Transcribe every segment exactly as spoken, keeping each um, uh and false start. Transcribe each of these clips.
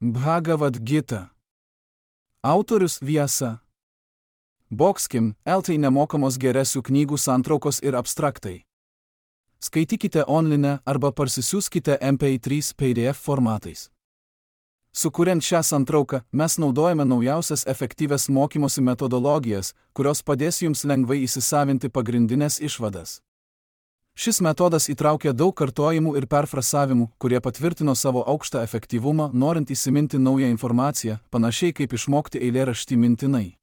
Bhagavad Gita. Autorius Vyasa. Boxkim, eltai nemokamos geresių knygų santraukos ir abstraktai. Skaitykite online arba parsisiųskite M P trys P D F formatais. Sukuriant šią santrauką, mes naudojame naujausias efektyvias mokymosi metodologijas, kurios padės jums lengvai įsisavinti pagrindinės išvadas. Šis metodas įtraukia daug kartojimų ir perfrasavimų, kurie patvirtino savo aukštą efektyvumą, norint įsiminti naują informaciją, panašiai kaip išmokti eilėraštį mintinai.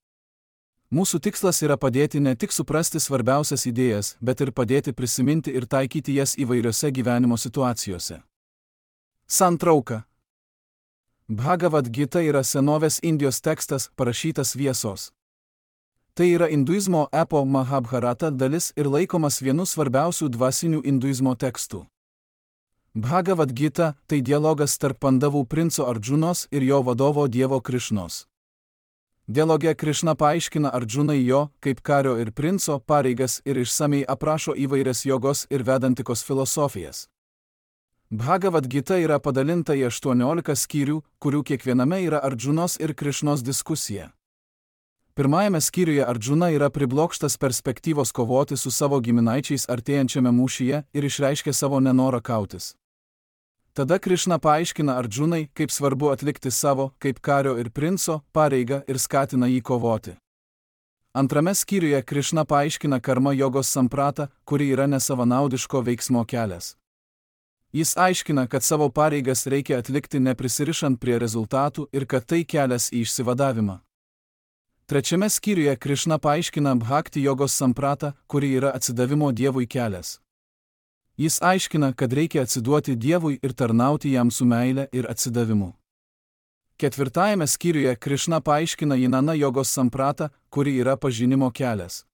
Mūsų tikslas yra padėti ne tik suprasti svarbiausias idėjas, bet ir padėti prisiminti ir taikyti jas įvairiose gyvenimo situacijose. Santrauka. Bhagavad Gita yra senovės Indijos tekstas, parašytas Vyasos. Tai yra induizmo epo Mahabharata dalis ir laikomas vienu svarbiausių dvasinių induizmo tekstų. Bhagavad Gita – tai dialogas tarp Pandavų princo Ardžunos ir jo vadovo dievo Krišnos. Dialoge Krišna paaiškina Ardžunai jo, kaip kario ir princo, pareigas ir išsamei aprašo įvairias jogos ir vedantikos filosofijas. Bhagavad Gita yra padalinta į aštuoniolika skyrių, kurių kiekviename yra Ardžunos ir Krišnos diskusija. Pirmajame skyriuje Ardžuna yra priblokštas perspektyvos kovoti su savo giminaičiais artėjančiame mūšyje ir išreiškia savo nenorą kautis. Tada Krišna paaiškina Ardžunai, kaip svarbu atlikti savo, kaip kario ir princo, pareigą ir skatina jį kovoti. Antrame skyriuje Krišna paaiškina karma jogos sampratą, kuri yra nesavanaudiško veiksmo kelias. Jis aiškina, kad savo pareigas reikia atlikti neprisirišant prie rezultatų ir kad tai kelias į išsivadavimą. Trečiame skyriuje Krišna paaiškina bhakti jogos sampratą, kuri yra atsidavimo Dievui kelias. Jis aiškina, kad reikia atsiduoti Dievui ir tarnauti jam su meile ir atsidavimu. Ketvirtajame skyriuje Krišna paaiškina jinana jogos sampratą, kuri yra pažinimo kelias.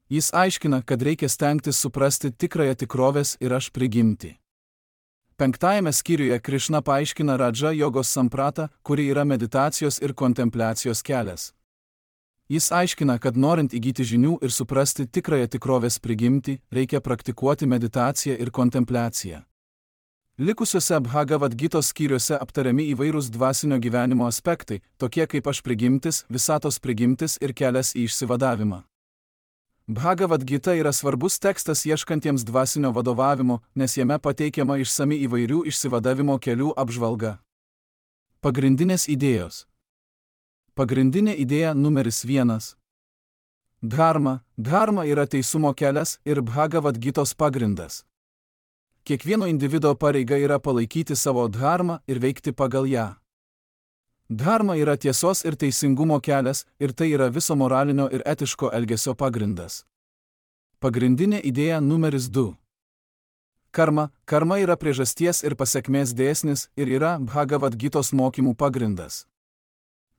Jis aiškina, kad reikia stengtis suprasti tikrąją tikrovės ir aš prigimtį. Penktajame skyriuje Krišna paaiškina radža jogos sampratą, kuri yra meditacijos ir kontempliacijos kelias. Jis aiškina, kad norint įgyti žinių ir suprasti tikrąją tikrovės prigimtį, reikia praktikuoti meditaciją ir kontempliaciją. Likusiuose Bhagavad Gitos skyriuose aptariami įvairūs dvasinio gyvenimo aspektai, tokie kaip aš prigimtis, visatos prigimtis ir kelias į išsivadavimą. Bhagavad Gita yra svarbus tekstas ieškantiems dvasinio vadovavimo, nes jame pateikiama išsami įvairių išsivadavimo kelių apžvalga. Pagrindinės idėjos. Pagrindinė idėja numeris vienas. Dharma. Dharma yra teisumo kelias ir Bhagavad Gitos pagrindas. Kiekvieno individo pareiga yra palaikyti savo dharmą ir veikti pagal ją. Dharma yra tiesos ir teisingumo kelias ir tai yra viso moralinio ir etiško elgesio pagrindas. Pagrindinė idėja numeris du. Karma. Karma yra priežasties ir pasekmės dėsnis ir yra Bhagavad Gitos mokymų pagrindas.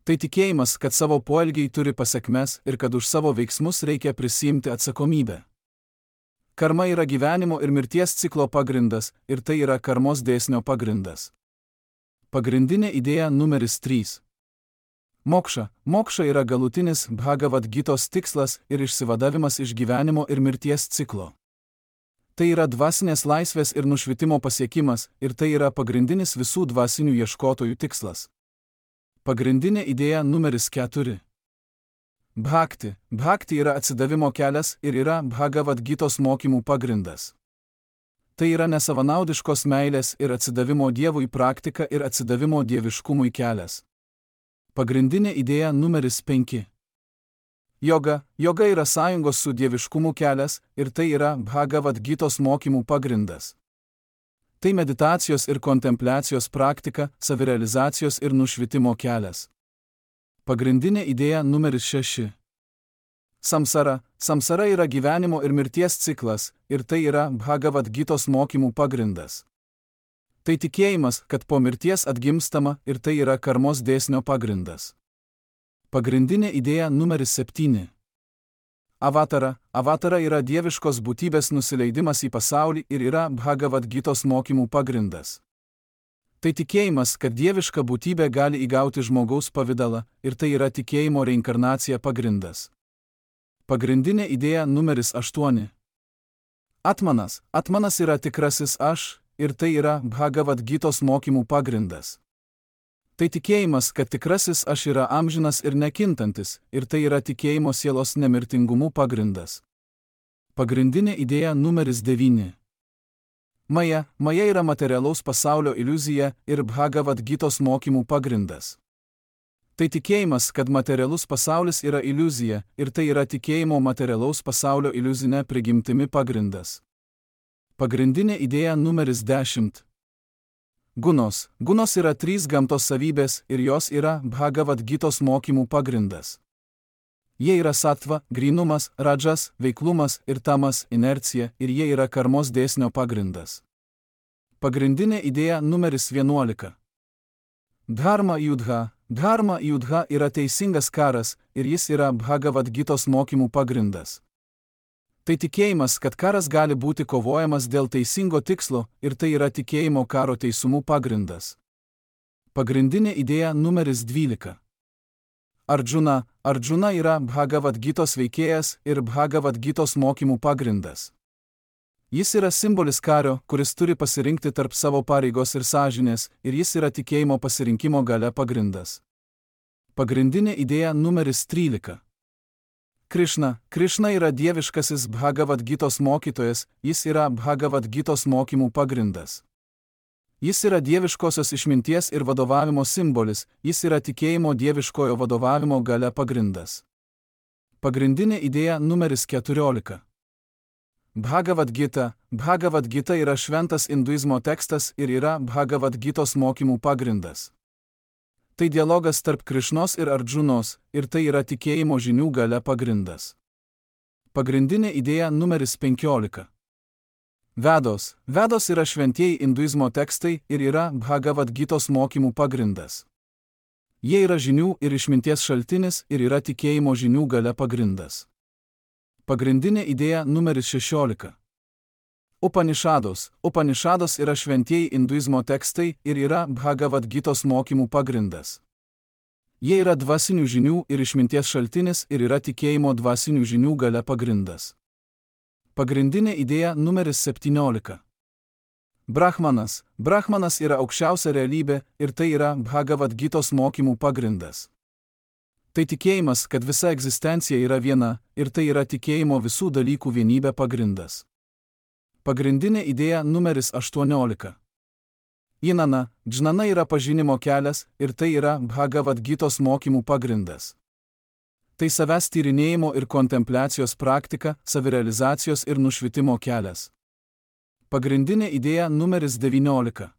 Tai tikėjimas, kad savo poelgiai turi pasekmes ir kad už savo veiksmus reikia prisiimti atsakomybę. Karma yra gyvenimo ir mirties ciklo pagrindas ir tai yra karmos dėsnio pagrindas. Pagrindinė idėja numeris trys. Mokša. Mokša yra galutinis Bhagavad Gitos tikslas ir išsivadavimas iš gyvenimo ir mirties ciklo. Tai yra dvasinės laisvės ir nušvitimo pasiekimas ir tai yra pagrindinis visų dvasinių ieškotojų tikslas. Pagrindinė idėja numeris keturi. Bhakti. Bhakti yra atsidavimo kelias ir yra Bhagavad Gitos mokymų pagrindas. Tai yra nesavanaudiškos meilės ir atsidavimo Dievui praktika ir atsidavimo dieviškumui kelias. Pagrindinė idėja numeris penki. Joga. Joga yra sąjungos su dieviškumu kelias ir tai yra Bhagavad Gitos mokymų pagrindas. Tai meditacijos ir kontempliacijos praktika, savirealizacijos ir nušvitimo kelias. Pagrindinė idėja numeris šeši. Samsara. Samsara yra gyvenimo ir mirties ciklas ir tai yra Bhagavad Gitos mokymų pagrindas. Tai tikėjimas, kad po mirties atgimstama ir tai yra karmos dėsnio pagrindas. Pagrindinė idėja numeris septyni. Avatara. Avatara yra dieviškos būtybės nusileidimas į pasaulį ir yra Bhagavad Gitos mokymų pagrindas. Tai tikėjimas, kad dieviška būtybė gali įgauti žmogaus pavidalą ir tai yra tikėjimo reinkarnacija pagrindas. Pagrindinė idėja numeris aštuoni. Atmanas. Atmanas yra tikrasis aš ir tai yra Bhagavad Gitos mokymų pagrindas. Tai tikėjimas, kad tikrasis aš yra amžinas ir nekintantis, ir tai yra tikėjimo sielos nemirtingumu pagrindas. Pagrindinė idėja numeris devyni. Maja, Maja yra materialaus pasaulio iliuzija ir Bhagavad Gitos mokymų pagrindas. Tai tikėjimas, kad materialus pasaulis yra iliuzija, ir tai yra tikėjimo materialaus pasaulio iliuzinė prigimtimi pagrindas. Pagrindinė idėja numeris dešimt. Gunos. Gunos yra trys gamtos savybės ir jos yra Bhagavad Gitos mokymų pagrindas. Jie yra sattva, grynumas, radžas, veiklumas ir tamas, inercija, ir jie yra karmos dėsnio pagrindas. Pagrindinė idėja numeris vienuolika. Dharma Yudha. Dharma Yudha yra teisingas karas ir jis yra Bhagavad Gitos mokymų pagrindas. Tai tikėjimas, kad karas gali būti kovojamas dėl teisingo tikslo ir tai yra tikėjimo karo teisumų pagrindas. Pagrindinė idėja numeris dvylika. Arjuna. Arjuna yra Bhagavad Gitos veikėjas ir Bhagavad Gitos mokymų pagrindas. Jis yra simbolis kario, kuris turi pasirinkti tarp savo pareigos ir sąžinės, ir jis yra tikėjimo pasirinkimo galia pagrindas. Pagrindinė idėja numeris trylika. Krišna. Krišna yra dieviškasis Bhagavad Gitos mokytojas, jis yra Bhagavad Gitos mokymų pagrindas. Jis yra dieviškosios išminties ir vadovavimo simbolis, jis yra tikėjimo dieviškojo vadovavimo galia pagrindas. Pagrindinė idėja numeris keturiolika. Bhagavad Gita. Bhagavad Gita yra šventas hinduizmo tekstas ir yra Bhagavad Gitos mokymų pagrindas. Tai dialogas tarp Krišnos ir Arjunos, ir tai yra tikėjimo žinių galia pagrindas. Pagrindinė idėja numeris penkiolika. Vedos. Vedos yra šventieji hinduizmo tekstai ir yra Bhagavad Gitos mokymų pagrindas. Jie yra žinių ir išminties šaltinis ir yra tikėjimo žinių galia pagrindas. Pagrindinė idėja numeris šešiolika. Upanišados. Upanišados yra šventieji hinduizmo tekstai ir yra Bhagavad Gitos mokymų pagrindas. Jie yra dvasinių žinių ir išminties šaltinis ir yra tikėjimo dvasinių žinių galia pagrindas. Pagrindinė idėja numeris septyniolika. Brahmanas. Brahmanas yra aukščiausia realybė ir tai yra Bhagavad Gitos mokymų pagrindas. Tai tikėjimas, kad visa egzistencija yra viena ir tai yra tikėjimo visų dalykų vienybė pagrindas. Pagrindinė idėja numeris aštuoniolika. Inana. Džnana yra pažinimo kelias ir tai yra Bhagavad Gitos mokymų pagrindas. Tai savęs tyrinėjimo ir kontempliacijos praktika, savirealizacijos ir nušvitimo kelias. Pagrindinė idėja numeris devyniolika.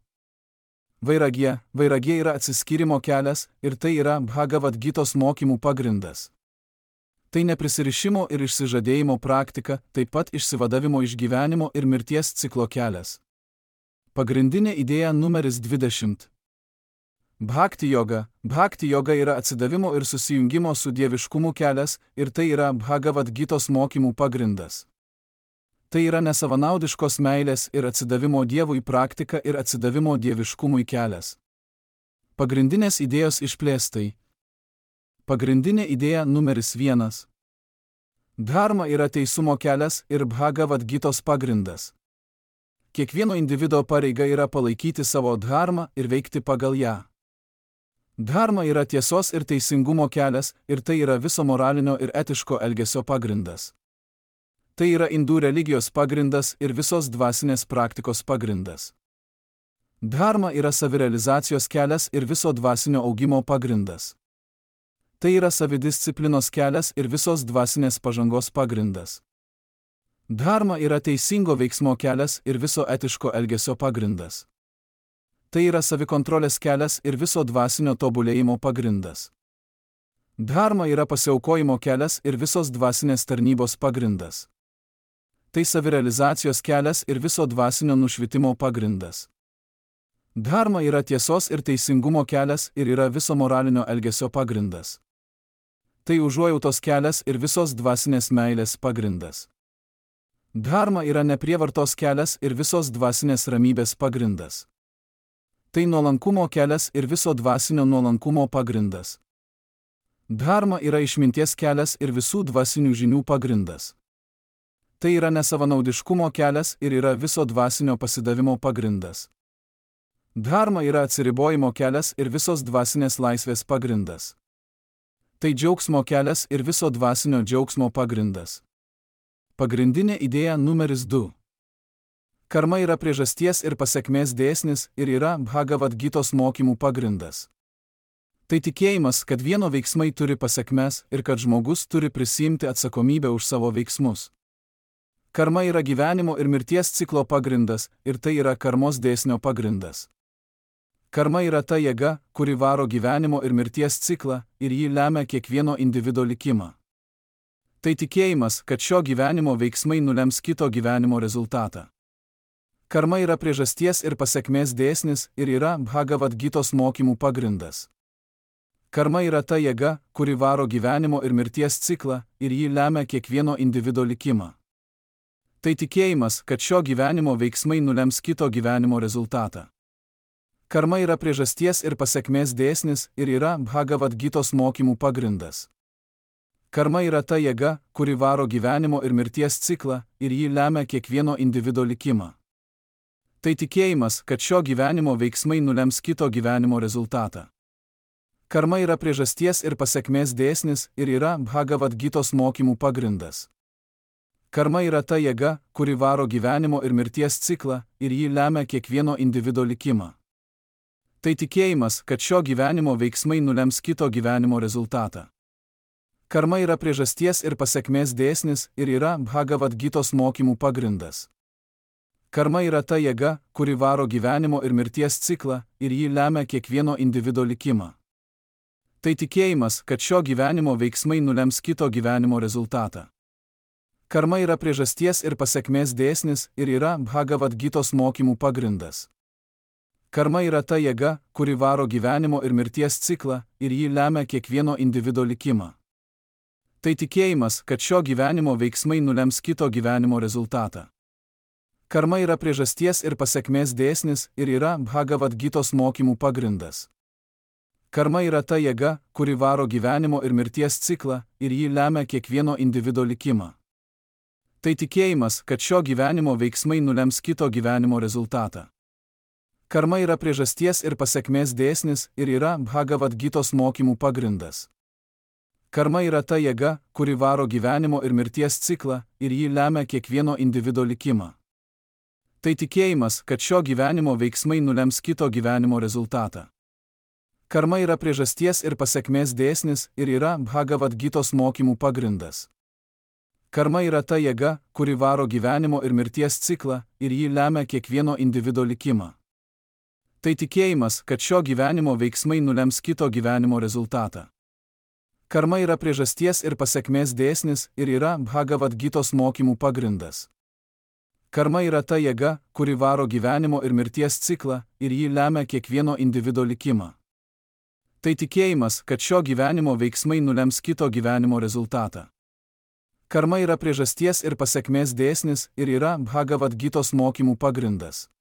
Vairagija. Vairagija yra atsiskyrimo kelias ir tai yra Bhagavad Gitos mokymų pagrindas. Tai neprisirišimo ir išsižadėjimo praktika, taip pat išsivadavimo iš gyvenimo ir mirties ciklo kelias. Pagrindinė idėja numeris dvidešimt. Bhakti joga. Bhakti joga yra atsidavimo ir susijungimo su dieviškumu kelias ir tai yra Bhagavad Gitos mokymų pagrindas. Tai yra nesavanaudiškos meilės ir atsidavimo Dievui praktika ir atsidavimo dieviškumui kelias. Pagrindinės idėjos išplėstai. Pagrindinė idėja numeris vienas. Dharma yra teisumo kelias ir Bhagavad Gitos pagrindas. Kiekvieno individo pareiga yra palaikyti savo dharmą ir veikti pagal ją. Dharma yra tiesos ir teisingumo kelias ir tai yra viso moralinio ir etiško elgesio pagrindas. Tai yra indų religijos pagrindas ir visos dvasinės praktikos pagrindas. Dharma yra savirealizacijos kelias ir viso dvasinio augimo pagrindas. Tai yra savidisciplinos kelias ir visos dvasinės pažangos pagrindas. Dharma yra teisingo veiksmo kelias ir viso etiško elgesio pagrindas. Tai yra savikontrolės kelias ir viso dvasinio tobulėjimo pagrindas. Dharma yra pasiaukojimo kelias ir visos dvasinės tarnybos pagrindas. Tai savirealizacijos kelias ir viso dvasinio nušvitimo pagrindas. Dharma yra tiesos ir teisingumo kelias ir yra viso moralinio elgesio pagrindas. Tai užuojautos kelias ir visos dvasinės meilės pagrindas. Dharma yra neprievartos kelias ir visos dvasinės ramybės pagrindas. Tai nuolankumo kelias ir viso dvasinio nuolankumo pagrindas. Dharma yra išminties kelias ir visų dvasinių žinių pagrindas. Tai yra nesavanaudiškumo kelias ir yra viso dvasinio pasidavimo pagrindas. Dharma yra atsiribojimo kelias ir visos dvasinės laisvės pagrindas. Tai džiaugsmo kelias ir viso dvasinio džiaugsmo pagrindas. Pagrindinė idėja numeris du. Karma yra priežasties ir pasekmės dėsnis ir yra Bhagavad Gitos mokymų pagrindas. Tai tikėjimas, kad vieno veiksmai turi pasekmes ir kad žmogus turi prisiimti atsakomybę už savo veiksmus. Karma yra gyvenimo ir mirties ciklo pagrindas ir tai yra karmos dėsnio pagrindas. Karma yra ta jėga, kuri varo gyvenimo ir mirties ciklą ir jį lemia kiekvieno individo likimą. Tai tikėjimas, kad šio gyvenimo veiksmai nulems kito gyvenimo rezultatą. Karma yra priežasties ir pasekmės dėsnis ir yra Bhagavad Gitos mokymų pagrindas. Karma yra ta jėga, kuri varo gyvenimo ir mirties ciklą ir jį lemia kiekvieno individo likimą. Tai tikėjimas, kad šio gyvenimo veiksmai nulems kito gyvenimo rezultatą. Karma yra priežasties ir pasekmės dėsnis ir yra Bhagavad Gitos mokymų pagrindas. Karma yra ta jėga, kuri varo gyvenimo ir mirties ciklą ir jį lemia kiekvieno individo likimą. Tai tikėjimas, kad šio gyvenimo veiksmai nulems kito gyvenimo rezultatą. Karma yra priežasties ir pasekmės dėsnis ir yra Bhagavad Gitos mokymų pagrindas. Karma yra ta jėga, kuri varo gyvenimo ir mirties ciklą ir jį lemia kiekvieno individo likimą. Tai tikėjimas, kad šio gyvenimo veiksmai nulems kito gyvenimo rezultatą. Karma yra priežasties ir pasekmės dėsnis ir yra Bhagavad Gitos mokymų pagrindas. Karma yra ta jėga, kuri varo gyvenimo ir mirties ciklą ir jį lemia kiekvieno individo likimą. Tai tikėjimas, kad šio gyvenimo veiksmai nulems kito gyvenimo rezultatą. Karma yra priežasties ir pasekmės dėsnis ir yra Bhagavad Gitos mokymų pagrindas. Karma yra ta jėga, kuri varo gyvenimo ir mirties ciklą ir jį lemia kiekvieno individo likimą. Tai tikėjimas, kad šio gyvenimo veiksmai nulems kito gyvenimo rezultatą. Karma yra priežasties ir pasekmės dėsnis ir yra Bhagavad Gitos mokymų pagrindas. Karma yra ta jėga, kuri varo gyvenimo ir mirties ciklą ir jį lemia kiekvieno individo likimą. Tai tikėjimas, kad šio gyvenimo veiksmai nulems kito gyvenimo rezultatą. Karma yra priežasties ir pasekmės dėsnis ir yra Bhagavad Gitos mokymų pagrindas. Karma yra ta jėga, kuri varo gyvenimo ir mirties ciklą ir jį lemia kiekvieno individo likimą. Tai tikėjimas, kad šio gyvenimo veiksmai nulems kito gyvenimo rezultatą. Karma yra priežasties ir pasekmės dėsnis ir yra Bhagavad Gitos mokymų pagrindas. Karma yra ta jėga, kuri varo gyvenimo ir mirties ciklą ir jį lemia kiekvieno individo likimą. Tai tikėjimas, kad šio gyvenimo veiksmai nulems kito gyvenimo rezultatą. Karma yra priežasties ir pasekmės dėsnis ir yra Bhagavad Gitos mokymų pagrindas. Karma yra ta jėga, kuri varo gyvenimo ir mirties ciklą ir jį lemia kiekvieno individo likimą. Tai tikėjimas, kad šio gyvenimo veiksmai nulems kito gyvenimo rezultatą. Karma yra priežasties ir pasekmės dėsnis ir yra Bhagavad Gitos mokymų pagrindas.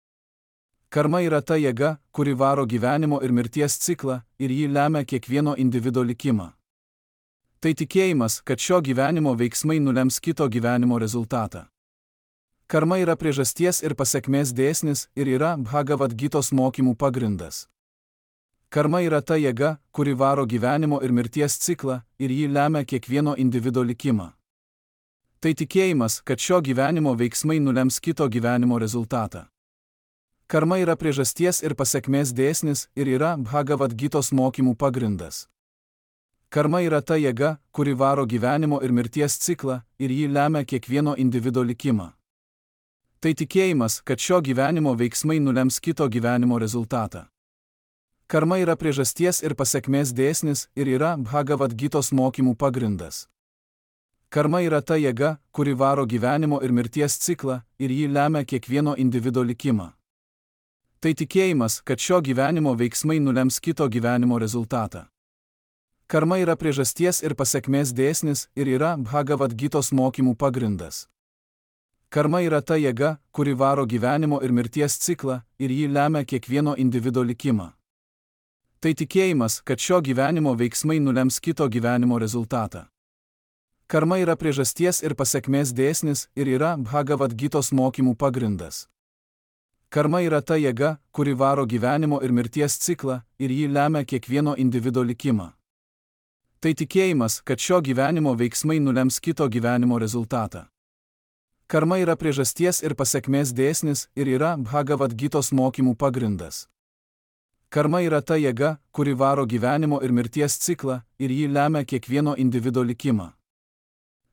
Karma yra ta jėga, kuri varo gyvenimo ir mirties ciklą ir jį lemia kiekvieno individo likimą. Tai tikėjimas, kad šio gyvenimo veiksmai nulems kito gyvenimo rezultatą. Karma yra priežasties ir pasekmės dėsnis ir yra Bhagavad Gitos mokymų pagrindas. Karma yra ta jėga, kuri varo gyvenimo ir mirties ciklą ir jį lemia kiekvieno individo likimą. Tai tikėjimas, kad šio gyvenimo veiksmai nulems kito gyvenimo rezultatą. Karma yra priežasties ir pasekmės dėsnis ir yra Bhagavad Gitos mokymų pagrindas. Karma yra ta jėga, kuri varo gyvenimo ir mirties ciklą ir jį lemia kiekvieno individo likimą. Tai tikėjimas, kad šio gyvenimo veiksmai nulems kito gyvenimo rezultatą. Karma yra priežasties ir pasekmės dėsnis ir yra Bhagavad Gitos mokymų pagrindas. Karma yra ta jėga, kuri varo gyvenimo ir mirties ciklą ir jį lemia kiekvieno individo likimą. Tai tikėjimas, kad šio gyvenimo veiksmai nulems kito gyvenimo rezultatą. Karma yra priežasties ir pasekmės dėsnis ir yra Bhagavad Gitos mokymų pagrindas. Karma yra ta jėga, kuri varo gyvenimo ir mirties ciklą ir jį lemia kiekvieno individo likimą. Tai tikėjimas, kad šio gyvenimo veiksmai nulems kito gyvenimo rezultatą. Karma yra priežasties ir pasekmės dėsnis ir yra Bhagavad Gitos mokymų pagrindas. Karma yra ta jėga, kuri varo gyvenimo ir mirties ciklą ir jį lemia kiekvieno individo likimą. Tai tikėjimas, kad šio gyvenimo veiksmai nulems kito gyvenimo rezultatą. Karma yra priežasties ir pasekmės dėsnis ir yra Bhagavad Gitos mokymų pagrindas. Karma yra ta jėga, kuri varo gyvenimo ir mirties ciklą ir jį lemia kiekvieno individo likimą.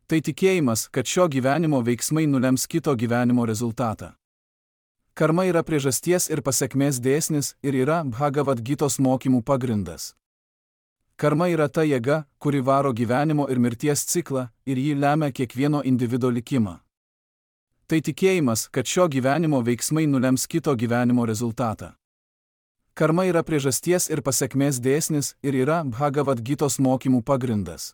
Tai tikėjimas, kad šio gyvenimo veiksmai nulems kito gyvenimo rezultatą. Karma yra priežasties ir pasekmės dėsnis ir yra Bhagavad Gitos mokymų pagrindas. Karma yra ta jėga, kuri varo gyvenimo ir mirties ciklą ir jį lemia kiekvieno individo likimą. Tai tikėjimas, kad šio gyvenimo veiksmai nulems kito gyvenimo rezultatą. Karma yra priežasties ir pasekmės dėsnis ir yra Bhagavad Gitos mokymų pagrindas.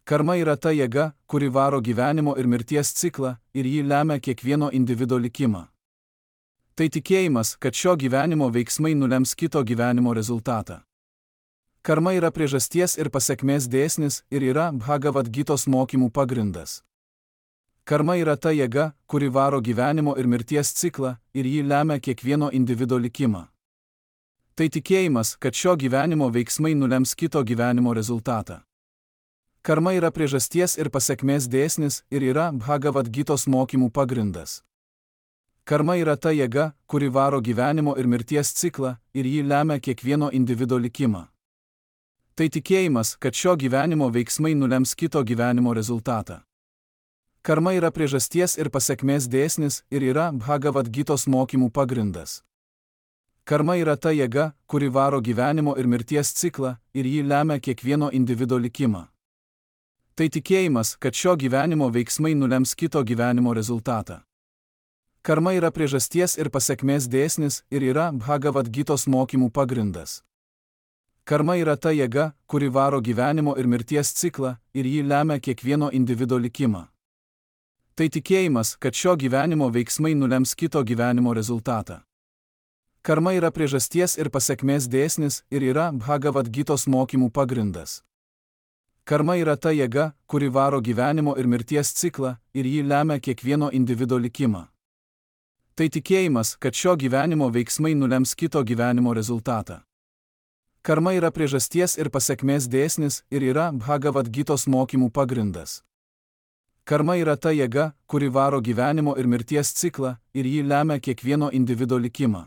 Karma yra ta jėga, kuri varo gyvenimo ir mirties ciklą ir jį lemia kiekvieno individo likimą. Tai tikėjimas, kad šio gyvenimo veiksmai nulems kito gyvenimo rezultatą. Karma yra priežasties ir pasekmės dėsnis ir yra Bhagavad Gitos mokymų pagrindas. Karma yra ta jėga, kuri varo gyvenimo ir mirties ciklą ir jį lemia kiekvieno individo likimą. Tai tikėjimas, kad šio gyvenimo veiksmai nulems kito gyvenimo rezultatą. Karma yra priežasties ir pasekmės dėsnis ir yra Bhagavad Gitos mokymų pagrindas. Karma yra ta jėga, kuri varo gyvenimo ir mirties ciklą ir jį lemia kiekvieno individo likimą. Tai tikėjimas, kad šio gyvenimo veiksmai nulems kito gyvenimo rezultatą. Karma yra priežasties ir pasekmės dėsnis ir yra Bhagavad Gitos mokymų pagrindas. Karma yra ta jėga, kuri varo gyvenimo ir mirties ciklą ir jį lemia kiekvieno individo likimą. Tai tikėjimas, kad šio gyvenimo veiksmai nulems kito gyvenimo rezultatą. Karma yra priežasties ir pasekmės dėsnis ir yra Bhagavad Gitos mokymų pagrindas. Karma yra ta jėga, kuri varo gyvenimo ir mirties ciklą ir jį lemia kiekvieno individo likimą. Tai tikėjimas, kad šio gyvenimo veiksmai nulems kito gyvenimo rezultatą. Karma yra priežasties ir pasekmės dėsnis ir yra Bhagavad Gitos mokymų pagrindas. Karma yra ta jėga, kuri varo gyvenimo ir mirties ciklą ir jį lemia kiekvieno individo likimą. Tai tikėjimas, kad šio gyvenimo veiksmai nulems kito gyvenimo rezultatą. Karma yra priežasties ir pasekmės dėsnis ir yra Bhagavad Gitos mokymų pagrindas. Karma yra ta jėga, kuri varo gyvenimo ir mirties ciklą ir jį lemia kiekvieno individo likimą.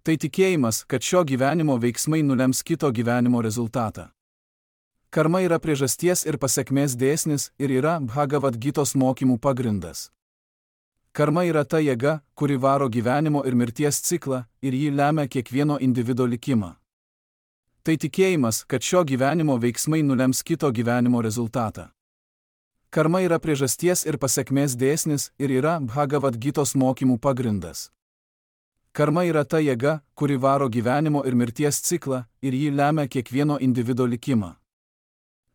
Tai tikėjimas, kad šio gyvenimo veiksmai nulems kito gyvenimo rezultatą. Karma yra priežasties ir pasekmės dėsnis ir yra Bhagavad Gitos mokymų pagrindas. Karma yra ta jėga, kuri varo gyvenimo ir mirties ciklą ir jį lemia kiekvieno individo likimą. Tai tikėjimas, kad šio gyvenimo veiksmai nulems kito gyvenimo rezultatą. Karma yra priežasties ir pasekmės dėsnis ir yra Bhagavad Gitos mokymų pagrindas. Karma yra ta jėga, kuri varo gyvenimo ir mirties ciklą ir jį lemia kiekvieno individo likimą.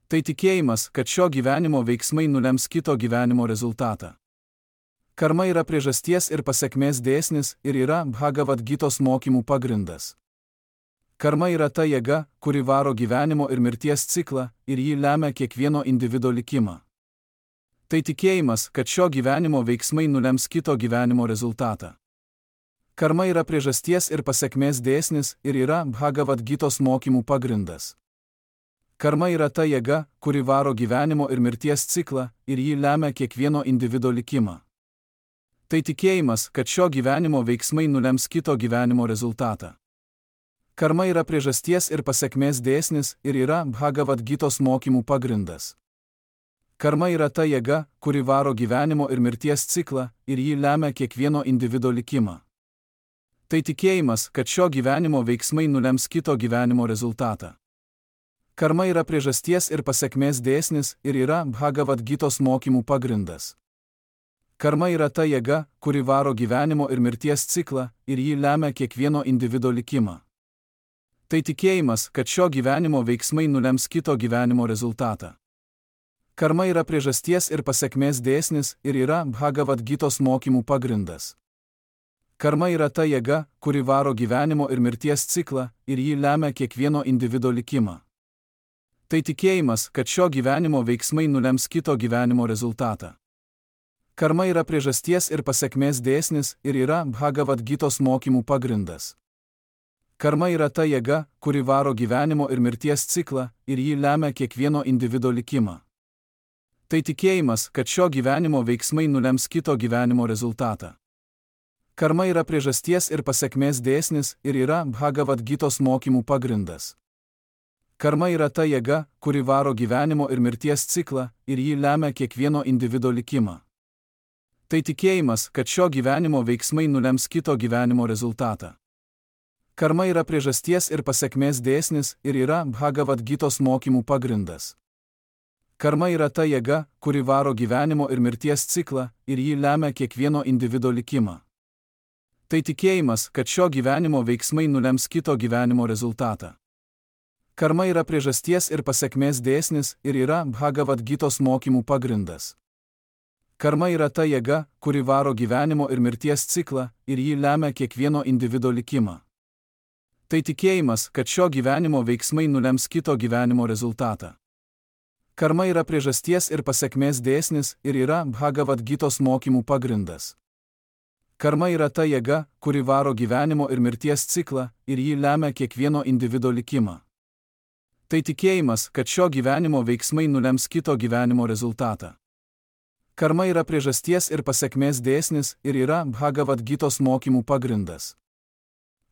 Tai tikėjimas, kad šio gyvenimo veiksmai nulems kito gyvenimo rezultatą. Karma yra priežasties ir pasekmės dėsnis ir yra Bhagavad Gitos mokymų pagrindas. Karma yra ta jėga, kuri varo gyvenimo ir mirties ciklą ir jį lemia kiekvieno individo likimą. Tai tikėjimas, kad šio gyvenimo veiksmai nulems kito gyvenimo rezultatą. Karma yra priežasties ir pasekmės dėsnis ir yra Bhagavad Gitos mokymų pagrindas. Karma yra ta jėga, kuri varo gyvenimo ir mirties ciklą ir jį lemia kiekvieno individo likimą. Tai tikėjimas, kad šio gyvenimo veiksmai nulems kito gyvenimo rezultatą. Karma yra priežasties ir pasekmės dėsnis ir yra Bhagavad Gitos mokymų pagrindas. Karma yra ta jėga, kuri varo gyvenimo ir mirties ciklą ir jį lemia kiekvieno individo likimą. Tai tikėjimas, kad šio gyvenimo veiksmai nulems kito gyvenimo rezultatą. Karma yra priežasties ir pasekmės dėsnis ir yra Bhagavad Gitos mokymų pagrindas. Karma yra ta jėga, kuri varo gyvenimo ir mirties ciklą ir jį lemia kiekvieno individo likimą. Tai tikėjimas, kad šio gyvenimo veiksmai nulems kito gyvenimo rezultatą. Karma yra priežasties ir pasekmės dėsnis ir yra Bhagavad Gitos mokymų pagrindas. Karma yra ta jėga, kuri varo gyvenimo ir mirties ciklą ir jį lemia kiekvieno individo likimą. Tai tikėjimas, kad šio gyvenimo veiksmai nulems kito gyvenimo rezultatą. Karma yra priežasties ir pasekmės dėsnis ir yra Bhagavad Gitos mokymų pagrindas. Karma yra ta jėga, kuri varo gyvenimo ir mirties ciklą ir jį lemia kiekvieno individo likimą. Tai tikėjimas, kad šio gyvenimo veiksmai nulems kito gyvenimo rezultatą. Karma yra priežasties ir pasekmės dėsnis ir yra Bhagavad Gitos mokymų pagrindas. Karma yra ta jėga, kuri varo gyvenimo ir mirties ciklą ir jį lemia kiekvieno individo likimą. Tai tikėjimas, kad šio gyvenimo veiksmai nulems kito gyvenimo rezultatą. Karma yra priežasties ir pasekmės dėsnis ir yra Bhagavad Gitos mokymų pagrindas. Karma yra ta jėga, kuri varo gyvenimo ir mirties ciklą ir jį lemia kiekvieno individo likimą. Tai tikėjimas, kad šio gyvenimo veiksmai nulems kito gyvenimo rezultatą. Karma yra priežasties ir pasekmės dėsnis ir yra Bhagavad Gitos mokymų pagrindas. Karma yra ta jėga, kuri varo gyvenimo ir mirties ciklą ir jį lemia kiekvieno individo likimą. Tai tikėjimas, kad šio gyvenimo veiksmai nulems kito gyvenimo rezultatą. Karma yra priežasties ir pasekmės dėsnis ir yra Bhagavad Gitos mokymų pagrindas. Karma yra ta jėga, kuri varo gyvenimo ir mirties ciklą ir jį lemia kiekvieno individo likimą. Tai tikėjimas, kad šio gyvenimo veiksmai nulems kito gyvenimo rezultatą. Karma yra priežasties ir pasekmės dėsnis ir yra Bhagavad Gitos mokymų pagrindas.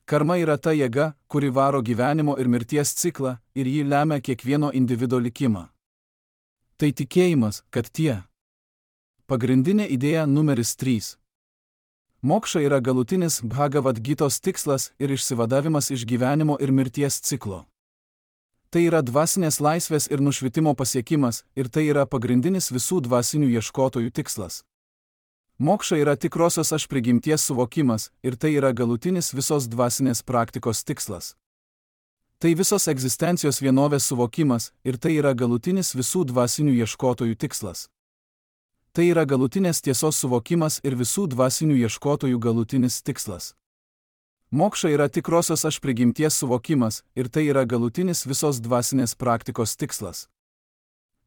Karma yra ta jėga, kuri varo gyvenimo ir mirties ciklą ir jį lemia kiekvieno individo likimą. Tai tikėjimas, kad tie. Pagrindinė idėja numeris trys. Mokša yra galutinis Bhagavad Gitos tikslas ir išsivadavimas iš gyvenimo ir mirties ciklo. Tai yra dvasinės laisvės ir nušvitimo pasiekimas ir tai yra pagrindinis visų dvasinių ieškotojų tikslas. Mokša yra tikrosios aš prigimties suvokimas ir tai yra galutinis visos dvasinės praktikos tikslas. Tai visos egzistencijos vienovės suvokimas ir tai yra galutinis visų dvasinių ieškotojų tikslas. Tai yra galutinės tiesos suvokimas ir visų dvasinių ieškotojų galutinis tikslas. Mokša yra tikrosios aš prigimties suvokimas ir tai yra galutinis visos dvasinės praktikos tikslas.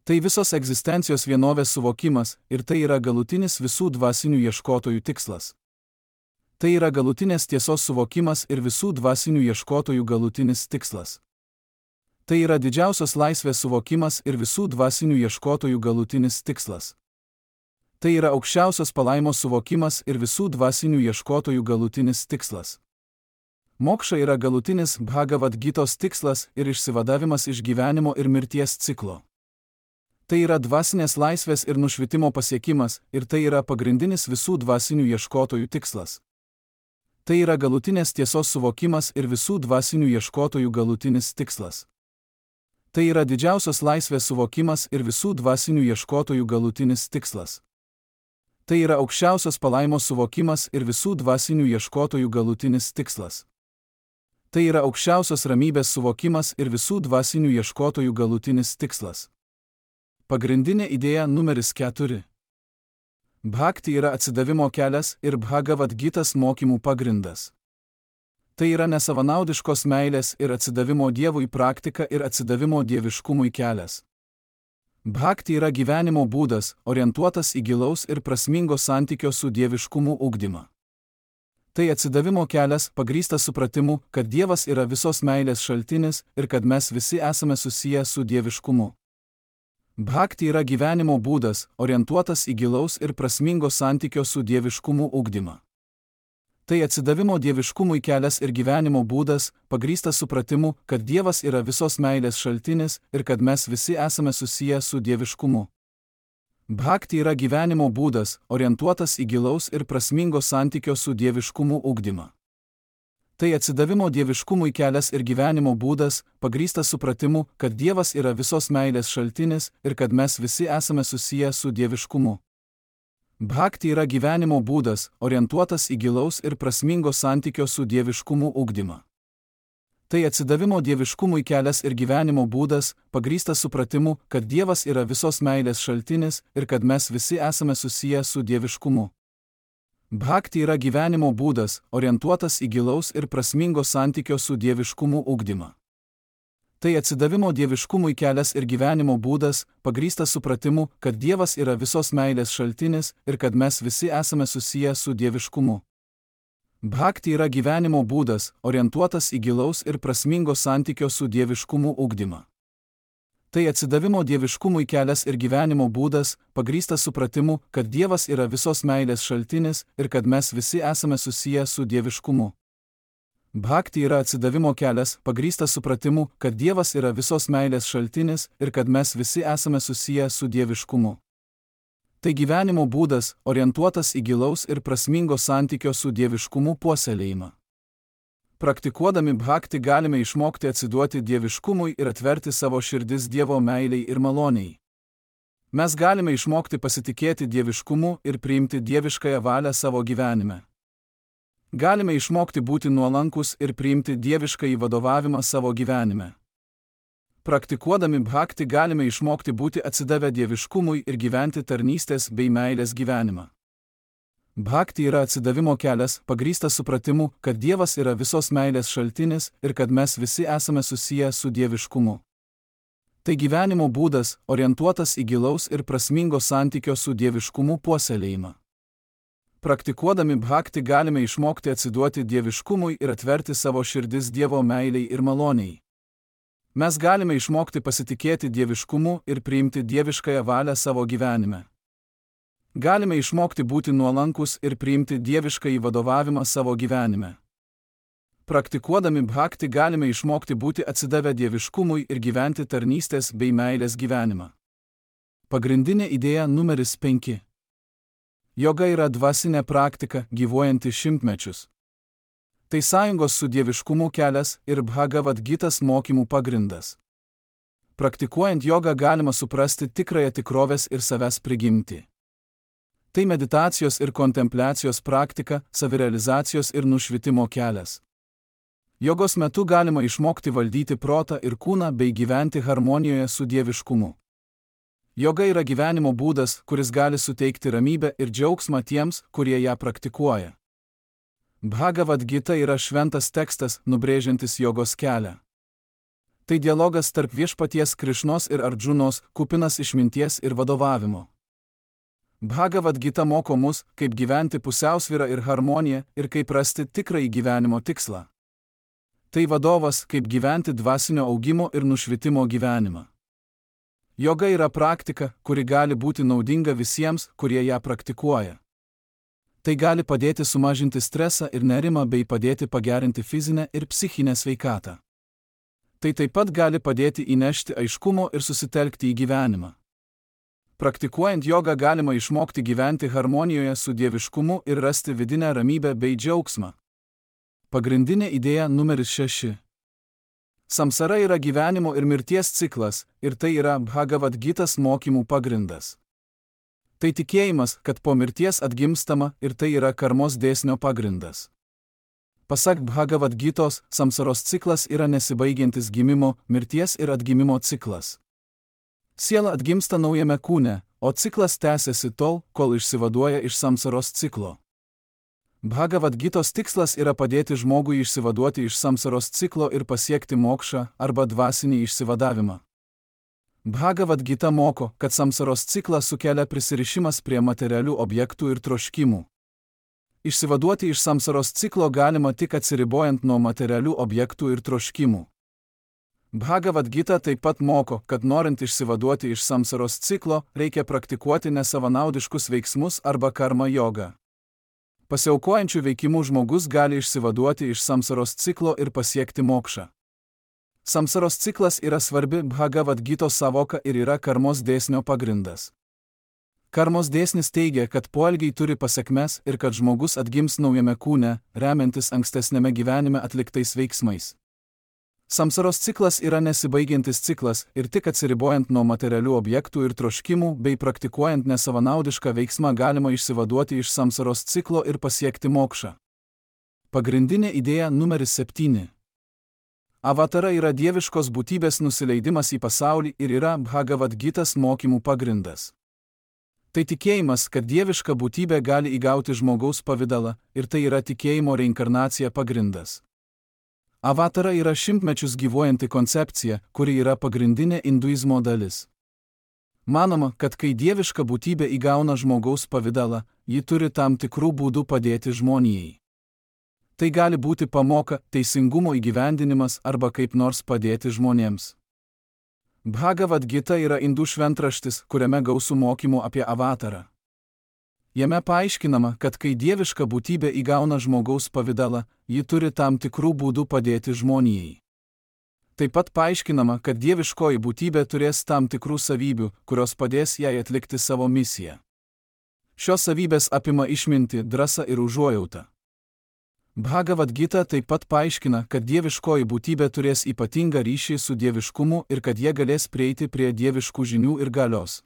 Tai visos egzistencijos vienovės suvokimas ir tai yra galutinis visų dvasinių ieškotojų tikslas. Tai yra galutinės tiesos suvokimas ir visų dvasinių ieškotojų galutinis tikslas. Tai yra didžiausios laisvės suvokimas ir visų dvasinių ieškotojų galutinis tikslas. Tai yra aukščiausios palaimos suvokimas ir visų dvasinių ieškotojų galutinis tikslas. Mokša yra galutinis Bhagavad Gitos tikslas ir išsivadavimas iš gyvenimo ir mirties ciklo. Tai yra dvasinės laisvės ir nušvitimo pasiekimas ir tai yra pagrindinis visų dvasinių ieškotojų tikslas. Tai yra galutinės tiesos suvokimas ir visų dvasinių ieškotojų galutinis tikslas. Tai yra didžiausios laisvės suvokimas ir visų dvasinių ieškotojų galutinis tikslas. Tai yra aukščiausios palaimos suvokimas ir visų dvasinių ieškotojų galutinis tikslas. Tai yra aukščiausios ramybės suvokimas ir visų dvasinių ieškotojų galutinis tikslas. Pagrindinė idėja numeris keturi. Bhakti yra atsidavimo kelias ir Bhagavad Gitas mokymų pagrindas. Tai yra nesavanaudiškos meilės ir atsidavimo Dievui praktika ir atsidavimo dieviškumui kelias. Bhakti yra gyvenimo būdas, orientuotas į gilaus ir prasmingo santykio su dieviškumu ugdymą. Tai atsidavimo kelias pagrįstas supratimu, kad Dievas yra visos meilės šaltinis ir kad mes visi esame susiję su dieviškumu. Bhakti yra gyvenimo būdas, orientuotas į gilaus ir prasmingo santykio su dieviškumu ugdymą. Tai atsidavimo dieviškumui kelias ir gyvenimo būdas, pagrįstas supratimu, kad Dievas yra visos meilės šaltinis ir kad mes visi esame susiję su dieviškumu. Bhakti yra gyvenimo būdas, orientuotas į gilaus ir prasmingo santykio su dieviškumu ugdymą. Tai atsidavimo dieviškumui kelias ir gyvenimo būdas, pagrįstas supratimu, kad Dievas yra visos meilės šaltinis ir kad mes visi esame susiję su dieviškumu. Bhakti yra gyvenimo būdas, orientuotas į gilaus ir prasmingo santykio su dieviškumu ugdymą. Tai atsidavimo dieviškumui kelias ir gyvenimo būdas, pagrįstas supratimu, kad Dievas yra visos meilės šaltinis ir kad mes visi esame susiję su dieviškumu. Bhakti yra gyvenimo būdas, orientuotas į gilaus ir prasmingo santykio su dieviškumu ugdymą. Tai atsidavimo dieviškumui kelias ir gyvenimo būdas, pagrįstas supratimu, kad Dievas yra visos meilės šaltinis ir kad mes visi esame susiję su dieviškumu. Bhakti yra gyvenimo būdas, orientuotas į gilaus ir prasmingo santykio su dieviškumu ugdymą. Tai atsidavimo dieviškumui kelias ir gyvenimo būdas, pagrįstas supratimu, kad Dievas yra visos meilės šaltinis ir kad mes visi esame susiję su dieviškumu. Bhakti yra atsidavimo kelias, pagrįstas supratimu, kad Dievas yra visos meilės šaltinis ir kad mes visi esame susiję su dieviškumu. Tai gyvenimo būdas, orientuotas į gilaus ir prasmingo santykio su dieviškumu puoselėjimą. Praktikuodami bhakti galime išmokti atsiduoti dieviškumui ir atverti savo širdis Dievo meiliai ir maloniai. Mes galime išmokti pasitikėti dieviškumu ir priimti dieviškąją valią savo gyvenime. Galime išmokti būti nuolankus ir priimti dieviškąjį vadovavimą savo gyvenime. Praktikuodami bhakti galime išmokti būti atsidavę dieviškumui ir gyventi tarnystės bei meilės gyvenimą. Bhakti yra atsidavimo kelias, pagrįstas supratimu, kad Dievas yra visos meilės šaltinis ir kad mes visi esame susiję su dieviškumu. Tai gyvenimo būdas, orientuotas į gilaus ir prasmingo santykio su dieviškumu puoselėjimą. Praktikuodami bhakti galime išmokti atsiduoti dieviškumui ir atverti savo širdis Dievo meiliai ir maloniai. Mes galime išmokti pasitikėti dieviškumu ir priimti dieviškąją valią savo gyvenime. Galime išmokti būti nuolankus ir priimti dieviškąjį vadovavimą savo gyvenime. Praktikuodami bhakti galime išmokti būti atsidavę dieviškumui ir gyventi tarnystės bei meilės gyvenimą. Pagrindinė idėja numeris penki. Joga yra dvasinė praktika, gyvuojanti šimtmečius. Tai sąjungos su dieviškumu kelias ir Bhagavad Gitas mokymų pagrindas. Praktikuojant jogą galima suprasti tikrąją tikrovės ir savęs prigimtį. Tai meditacijos ir kontempliacijos praktika, savirealizacijos ir nušvitimo kelias. Jogos metu galima išmokti valdyti protą ir kūną bei gyventi harmonijoje su dieviškumu. Joga yra gyvenimo būdas, kuris gali suteikti ramybę ir džiaugsmą tiems, kurie ją praktikuoja. Bhagavad Gita yra šventas tekstas, nubrėžiantis jogos kelią. Tai dialogas tarp viešpaties Krišnos ir Ardžunos, kupinas išminties ir vadovavimo. Bhagavad Gita moko mus, kaip gyventi pusiausvyrą ir harmoniją ir kaip rasti tikrąjį gyvenimo tikslą. Tai vadovas, kaip gyventi dvasinio augimo ir nušvitimo gyvenimą. Joga yra praktika, kuri gali būti naudinga visiems, kurie ją praktikuoja. Tai gali padėti sumažinti stresą ir nerimą bei padėti pagerinti fizinę ir psichinę sveikatą. Tai taip pat gali padėti įnešti aiškumo ir susitelkti į gyvenimą. Praktikuojant jogą galima išmokti gyventi harmonijoje su dieviškumu ir rasti vidinę ramybę bei džiaugsmą. Pagrindinė idėja numeris šeši. Samsara yra gyvenimo ir mirties ciklas, ir tai yra Bhagavad Gitas mokymų pagrindas. Tai tikėjimas, kad po mirties atgimstama ir tai yra karmos dėsnio pagrindas. Pasak Bhagavad Gitos, samsaros ciklas yra nesibaigiantis gimimo, mirties ir atgimimo ciklas. Siela atgimsta naujame kūne, o ciklas tęsiasi tol, kol išsivaduoja iš samsaros ciklo. Bhagavad Gitos tikslas yra padėti žmogui išsivaduoti iš samsaros ciklo ir pasiekti mokšą arba dvasinį išsivadavimą. Bhagavad Gita moko, kad samsaros ciklą sukelia prisirišimas prie materialių objektų ir troškimų. Išsivaduoti iš samsaros ciklo galima tik atsiribojant nuo materialių objektų ir troškimų. Bhagavad Gita taip pat moko, kad norint išsivaduoti iš samsaros ciklo, reikia praktikuoti nesavanaudiškus veiksmus arba karma jogą. Pasiaukojančių veikimų žmogus gali išsivaduoti iš samsaros ciklo ir pasiekti mokšą. Samsaros ciklas yra svarbi Bhagavad Gitos savoka ir yra karmos dėsnio pagrindas. Karmos dėsnis teigia, kad poelgiai turi pasekmes ir kad žmogus atgims naujame kūne, remiantis ankstesnėme gyvenime atliktais veiksmais. Samsaros ciklas yra nesibaigiantis ciklas ir tik atsiribojant nuo materialių objektų ir troškimų bei praktikuojant nesavanaudišką veiksmą galima išsivaduoti iš samsaros ciklo ir pasiekti mokšą. Pagrindinė idėja numeris septyni. Avatara yra dieviškos būtybės nusileidimas į pasaulį ir yra Bhagavad Gitas mokymų pagrindas. Tai tikėjimas, kad dieviška būtybė gali įgauti žmogaus pavidalą ir tai yra tikėjimo reinkarnacija pagrindas. Avatara yra šimtmečius gyvuojanti koncepcija, kuri yra pagrindinė hinduizmo dalis. Manoma, kad kai dieviška būtybė įgauna žmogaus pavidalą, ji turi tam tikrų būdų padėti žmonijai. Tai gali būti pamoka, teisingumo įgyvendinimas arba kaip nors padėti žmonėms. Bhagavad Gita yra indų šventraštis, kuriame gausu mokymų apie avatarą. Jame paaiškinama, kad kai dieviška būtybė įgauna žmogaus pavidalą, ji turi tam tikrų būdų padėti žmonijai. Taip pat paaiškinama, kad dieviškoji būtybė turės tam tikrų savybių, kurios padės jai atlikti savo misiją. Šios savybės apima išmintį, drąsą ir užuojautą. Bhagavad Gita taip pat paaiškina, kad dieviškoji būtybė turės ypatingą ryšį su dieviškumu ir kad jie galės prieiti prie dieviškų žinių ir galios.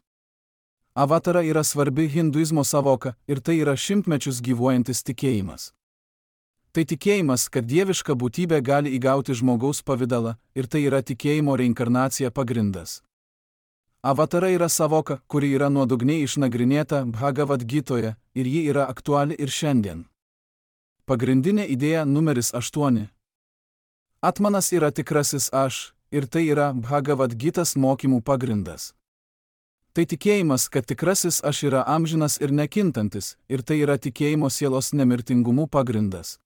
Avatara yra svarbi hinduizmo savoka ir tai yra šimtmečius gyvuojantis tikėjimas. Tai tikėjimas, kad dieviška būtybė gali įgauti žmogaus pavidalą ir tai yra tikėjimo reinkarnacija pagrindas. Avatara yra savoka, kuri yra nuodugniai išnagrinėta Bhagavad Gitoje ir ji yra aktuali ir šiandien. Pagrindinė idėja numeris aštuoni. Atmanas yra tikrasis aš, ir tai yra Bhagavad Gitas mokymų pagrindas. Tai tikėjimas, kad tikrasis aš yra amžinas ir nekintantis, ir tai yra tikėjimo sielos nemirtingumų pagrindas.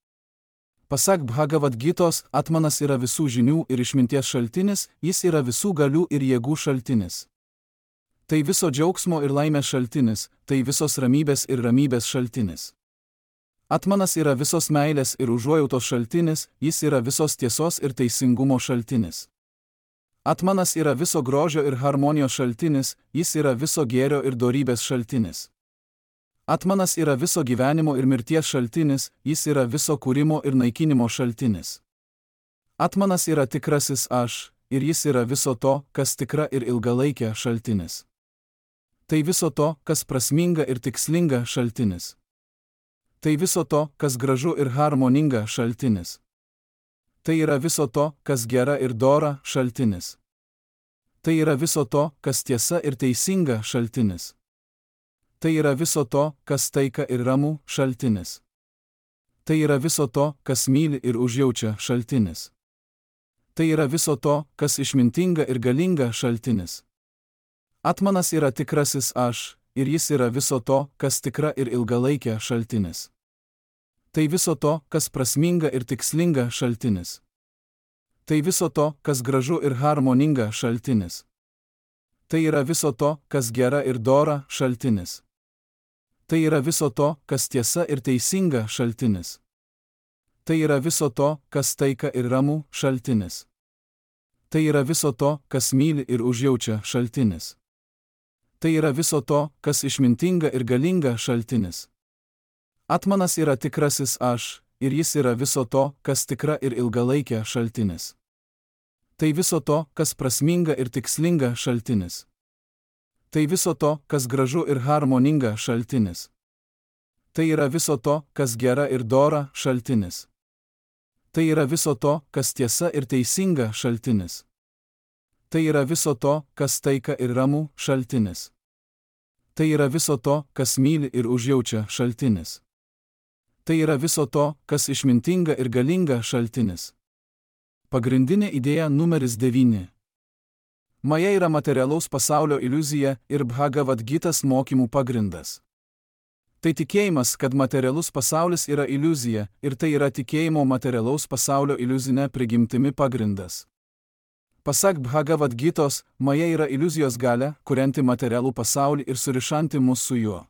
Pasak Bhagavad Gitos, atmanas yra visų žinių ir išminties šaltinis, jis yra visų galių ir jėgų šaltinis. Tai viso džiaugsmo ir laimės šaltinis, tai visos ramybės ir ramybės šaltinis. Atmanas yra visos meilės ir užuojautos šaltinis, jis yra visos tiesos ir teisingumo šaltinis. Atmanas yra viso grožio ir harmonijos šaltinis, jis yra viso gėrio ir dorybės šaltinis. Atmanas yra viso gyvenimo ir mirties šaltinis, jis yra viso kūrimo ir naikinimo šaltinis. Atmanas yra tikrasis aš, ir jis yra viso to, kas tikra ir ilgalaikė šaltinis. Tai viso to, kas prasminga ir tikslinga šaltinis. Tai viso to, kas gražu ir harmoninga šaltinis. Tai yra viso to, kas gera ir dora šaltinis. Tai yra viso to, kas tiesa ir teisinga šaltinis. Tai yra viso to, kas taika ir ramu šaltinis. Tai yra viso to, kas myli ir užjaučia šaltinis. Tai yra viso to, kas išmintinga ir galinga šaltinis. Atmanas yra tikrasis aš, ir jis yra viso to, kas tikra ir ilgalaikė šaltinis. Tai viso to, kas prasminga ir tikslinga šaltinis. Tai viso to, kas gražu ir harmoninga šaltinis. Tai yra viso to, kas gera ir dora šaltinis. Tai yra viso to, kas tiesa ir teisinga šaltinis. Tai yra viso to, kas taika ir ramu šaltinis. Tai yra viso to, kas myli ir užjaučia šaltinis. Tai yra viso to, kas išmintinga ir galinga šaltinis. Atmanas yra tikrasis aš, ir jis yra viso to, kas tikra ir ilgalaikė šaltinis. Tai viso to, kas prasminga ir tikslinga šaltinis. Tai viso to, kas gražu ir harmoninga šaltinis. Tai yra viso to, kas gera ir dora šaltinis. Tai yra viso to, kas tiesa ir teisinga šaltinis. Tai yra viso to, kas taika ir ramu šaltinis. Tai yra viso to, kas myli ir užjaučia šaltinis. Tai yra viso to, kas išmintinga ir galinga šaltinis. Pagrindinė idėja numeris devyni. Maja yra materialaus pasaulio iliuzija ir Bhagavad Gitas mokymų pagrindas. Tai tikėjimas, kad materialus pasaulis yra iliuzija, ir tai yra tikėjimo materialaus pasaulio iliuzinė prigimtimi pagrindas. Pasak Bhagavad Gitos, Maja yra iliuzijos galia, kurianti materialų pasaulį ir surišanti mus su juo.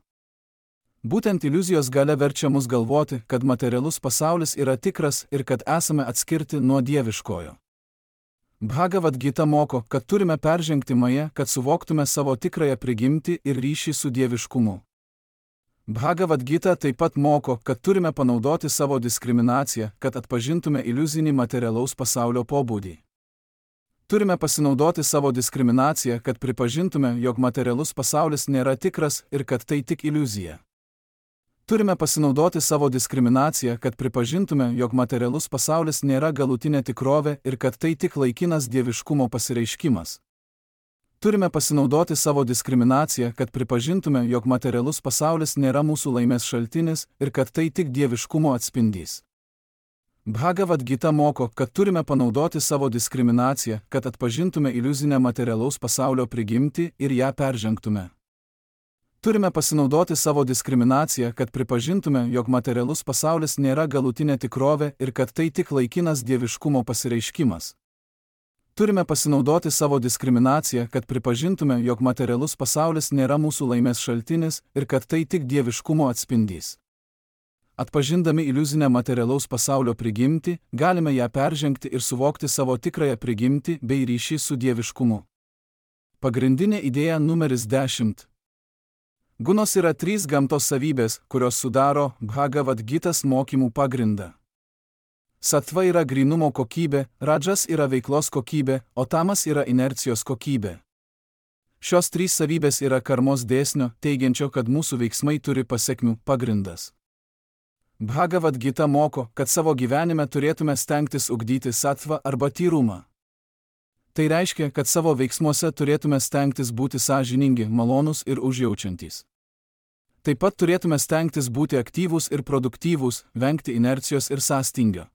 Būtent iliuzijos galia verčia mus galvoti, kad materialus pasaulis yra tikras ir kad esame atskirti nuo dieviškojo. Bhagavad Gita moko, kad turime peržengti Mają, kad suvoktume savo tikrąją prigimtį ir ryšį su dieviškumu. Bhagavad Gita taip pat moko, kad turime panaudoti savo diskriminaciją, kad atpažintume iliuzinį materialaus pasaulio pobūdį. Turime pasinaudoti savo diskriminaciją, kad pripažintume, jog materialus pasaulis nėra tikras ir kad tai tik iliuzija. Turime pasinaudoti savo diskriminaciją, kad pripažintume, jog materialus pasaulis nėra galutinė tikrovė ir kad tai tik laikinas dieviškumo pasireiškimas. Turime pasinaudoti savo diskriminaciją, kad pripažintume, jog materialus pasaulis nėra mūsų laimės šaltinis ir kad tai tik dieviškumo atspindys. Bhagavad Gita moko, kad turime panaudoti savo diskriminaciją, kad atpažintume iliuzinę materialaus pasaulio prigimtį ir ją peržengtume. Turime pasinaudoti savo diskriminaciją, kad pripažintume, jog materialus pasaulis nėra galutinė tikrovė ir kad tai tik laikinas dieviškumo pasireiškimas. Turime pasinaudoti savo diskriminaciją, kad pripažintume, jog materialus pasaulis nėra mūsų laimės šaltinis ir kad tai tik dieviškumo atspindys. Atpažindami iliuzinę materialaus pasaulio prigimtį, galime ją peržengti ir suvokti savo tikrąją prigimtį bei ryšį su dieviškumu. Pagrindinė idėja numeris dešimt. Gunos yra trys gamtos savybės, kurios sudaro Bhagavad Gitas mokymų pagrindą. Sattva yra grynumo kokybė, Rajas yra veiklos kokybė, o Tamas yra inercijos kokybė. Šios trys savybės yra karmos dėsnio, teigiančio, kad mūsų veiksmai turi pasekmių pagrindas. Bhagavad Gita moko, kad savo gyvenime turėtume stengtis ugdyti sattvą arba tyrumą. Tai reiškia, kad savo veiksmuose turėtume stengtis būti sąžiningi, malonūs ir užjaučiantys. Taip pat turėtume stengtis būti aktyvūs ir produktyvūs, vengti inercijos ir sąstingio.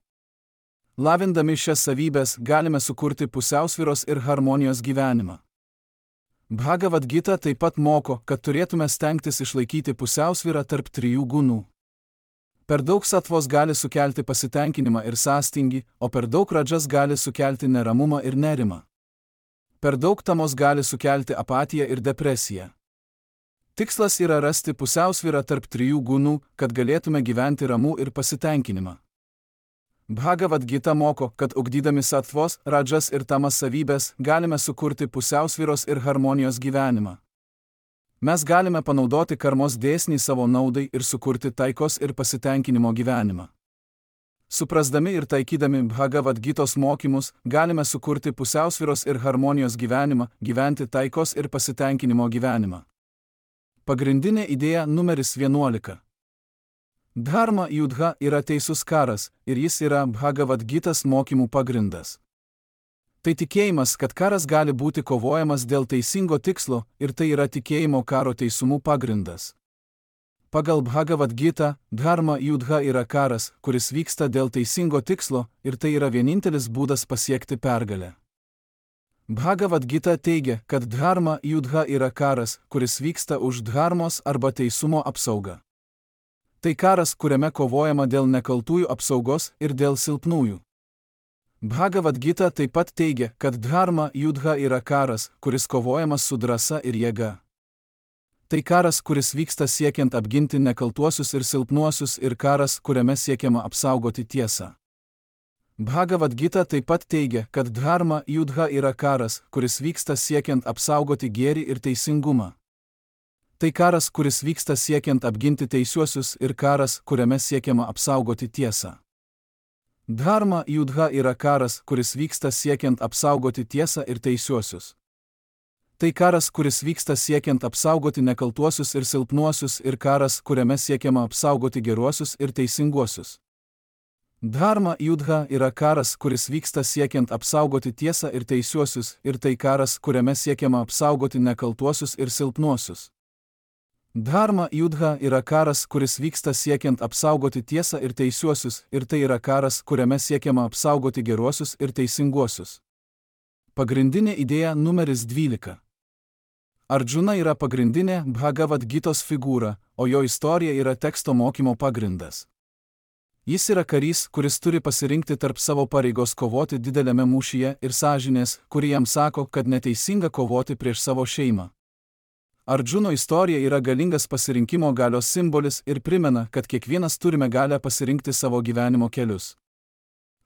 Lavindami šias savybės galime sukurti pusiausvyros ir harmonijos gyvenimą. Bhagavad Gita taip pat moko, kad turėtume stengtis išlaikyti pusiausvyrą tarp trijų gunų. Per daug satvos gali sukelti pasitenkinimą ir sąstingį, o per daug rajas gali sukelti neramumą ir nerimą. Per daug tamos gali sukelti apatiją ir depresiją. Tikslas yra rasti pusiausvyrą tarp trijų gunų, kad galėtume gyventi ramų ir pasitenkinimą. Bhagavad Gita moko, kad ugdydami satvos, rajas ir tamas savybės galime sukurti pusiausvyros ir harmonijos gyvenimą. Mes galime panaudoti karmos dėsnį savo naudai ir sukurti taikos ir pasitenkinimo gyvenimą. Suprasdami ir taikydami Bhagavad Gitos mokymus, galime sukurti pusiausvyros ir harmonijos gyvenimą, gyventi taikos ir pasitenkinimo gyvenimą. Pagrindinė idėja numeris vienuolika. Dharma Yudha yra teisus karas ir jis yra Bhagavad Gitas mokymų pagrindas. Tai tikėjimas, kad karas gali būti kovojamas dėl teisingo tikslo ir tai yra tikėjimo karo teisumų pagrindas. Pagal Bhagavad Gita, Dharma Yudha yra karas, kuris vyksta dėl teisingo tikslo ir tai yra vienintelis būdas pasiekti pergalę. Bhagavad Gita teigia, kad Dharma Yudha yra karas, kuris vyksta už dharmos arba teisumo apsaugą. Tai karas, kuriame kovojama dėl nekaltųjų apsaugos ir dėl silpnųjų. Bhagavad Gita taip pat teigia, kad Dharma Yudha yra karas, kuris kovojamas su drąsa ir jėga. Tai karas, kuris vyksta siekiant apginti nekaltuosius ir silpnuosius ir karas, kuriame siekiama apsaugoti tiesą. Bhagavad Gita taip pat teigia, kad Dharma Yudha yra karas, kuris vyksta siekiant apsaugoti gėrį ir teisingumą. Tai karas, kuris vyksta siekiant apginti teisiuosius ir karas, kuriame siekiama apsaugoti tiesą. Dharma Yudha yra karas, kuris vyksta siekiant apsaugoti tiesą ir teisiuosius. Tai karas, kuris vyksta siekiant apsaugoti nekaltuosius ir silpnuosius ir karas, kuriame siekiama apsaugoti geruosius ir teisinguosius. Dharma Yudha yra karas, kuris vyksta siekiant apsaugoti tiesą ir teisiuosius ir tai karas, kuriame siekiama apsaugoti nekaltuosius ir silpnuosius. Dharma Yudha yra karas, kuris vyksta siekiant apsaugoti tiesą ir teisiuosius ir tai yra karas, kuriame siekiama apsaugoti geruosius ir teisinguosius. Pagrindinė idėja numeris dvylika. Arjuna yra pagrindinė Bhagavad Gitos figūra, o jo istorija yra teksto mokymo pagrindas. Jis yra karys, kuris turi pasirinkti tarp savo pareigos kovoti dideliame mūšyje ir sąžinės, kuri jam sako, kad neteisinga kovoti prieš savo šeimą. Arjuno istorija yra galingas pasirinkimo galios simbolis ir primena, kad kiekvienas turime galę pasirinkti savo gyvenimo kelius.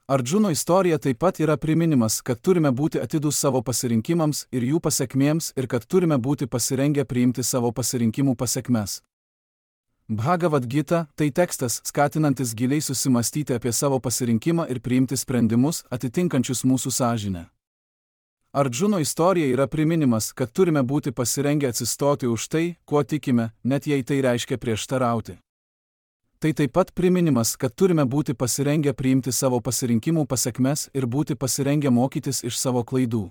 Arjuno istorija taip pat yra priminimas, kad turime būti atidūs savo pasirinkimams ir jų pasekmėms ir kad turime būti pasirengę priimti savo pasirinkimų pasekmes. Bhagavad Gita – tai tekstas, skatinantis giliai susimastyti apie savo pasirinkimą ir priimti sprendimus, atitinkančius mūsų sąžinę. Arjuno istorija yra priminimas, kad turime būti pasirengę atsistoti už tai, kuo tikime, net jei tai reiškia prieštarauti. Tai taip pat priminimas, kad turime būti pasirengę priimti savo pasirinkimų pasekmes ir būti pasirengę mokytis iš savo klaidų.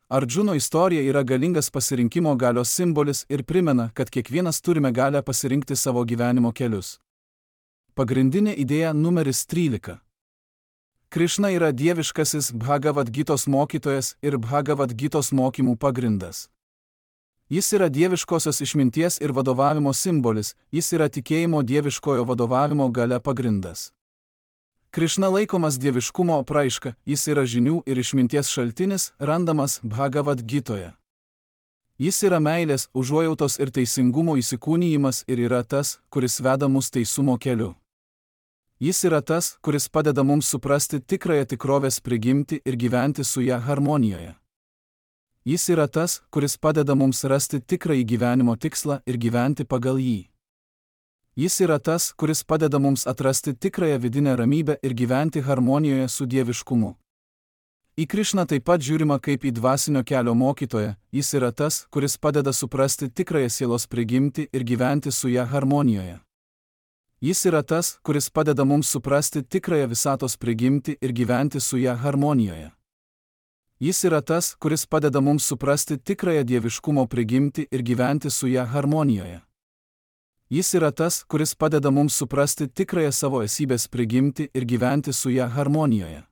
Arjuno istorija yra galingas pasirinkimo galios simbolis ir primena, kad kiekvienas turime galę pasirinkti savo gyvenimo kelius. Pagrindinė idėja numeris trylika. Krišna yra dieviškasis Bhagavad Gitos mokytojas ir Bhagavad Gitos mokymų pagrindas. Jis yra dieviškosios išminties ir vadovavimo simbolis, jis yra tikėjimo dieviškojo vadovavimo galia pagrindas. Krišna laikomas dieviškumo apraiška, jis yra žinių ir išminties šaltinis, randamas Bhagavad Gitoje. Jis yra meilės, užuojautos ir teisingumo įsikūnijimas ir yra tas, kuris veda mus teisumo keliu. Jis yra tas, kuris padeda mums suprasti tikrąją tikrovės prigimtį ir gyventi su ją harmonijoje. Jis yra tas, kuris padeda mums rasti tikrąjį gyvenimo tikslą ir gyventi pagal jį. Jis yra tas, kuris padeda mums atrasti tikrąją vidinę ramybę ir gyventi harmonijoje su dieviškumu. Į Krišną taip pat žiūrima kaip į dvasinio kelio mokytoją, jis yra tas, kuris padeda suprasti tikrąją sielos prigimtį ir gyventi su ją harmonijoje. Jis yra tas, kuris padeda mums suprasti tikrąją visatos prigimtį ir gyventi su ją harmonijoje. Jis yra tas, kuris padeda mums suprasti tikrąją dieviškumo prigimtį ir gyventi su ją harmonijoje. Jis yra tas, kuris padeda mums suprasti tikrąją savo esybės prigimtį ir gyventi su ją harmonijoje.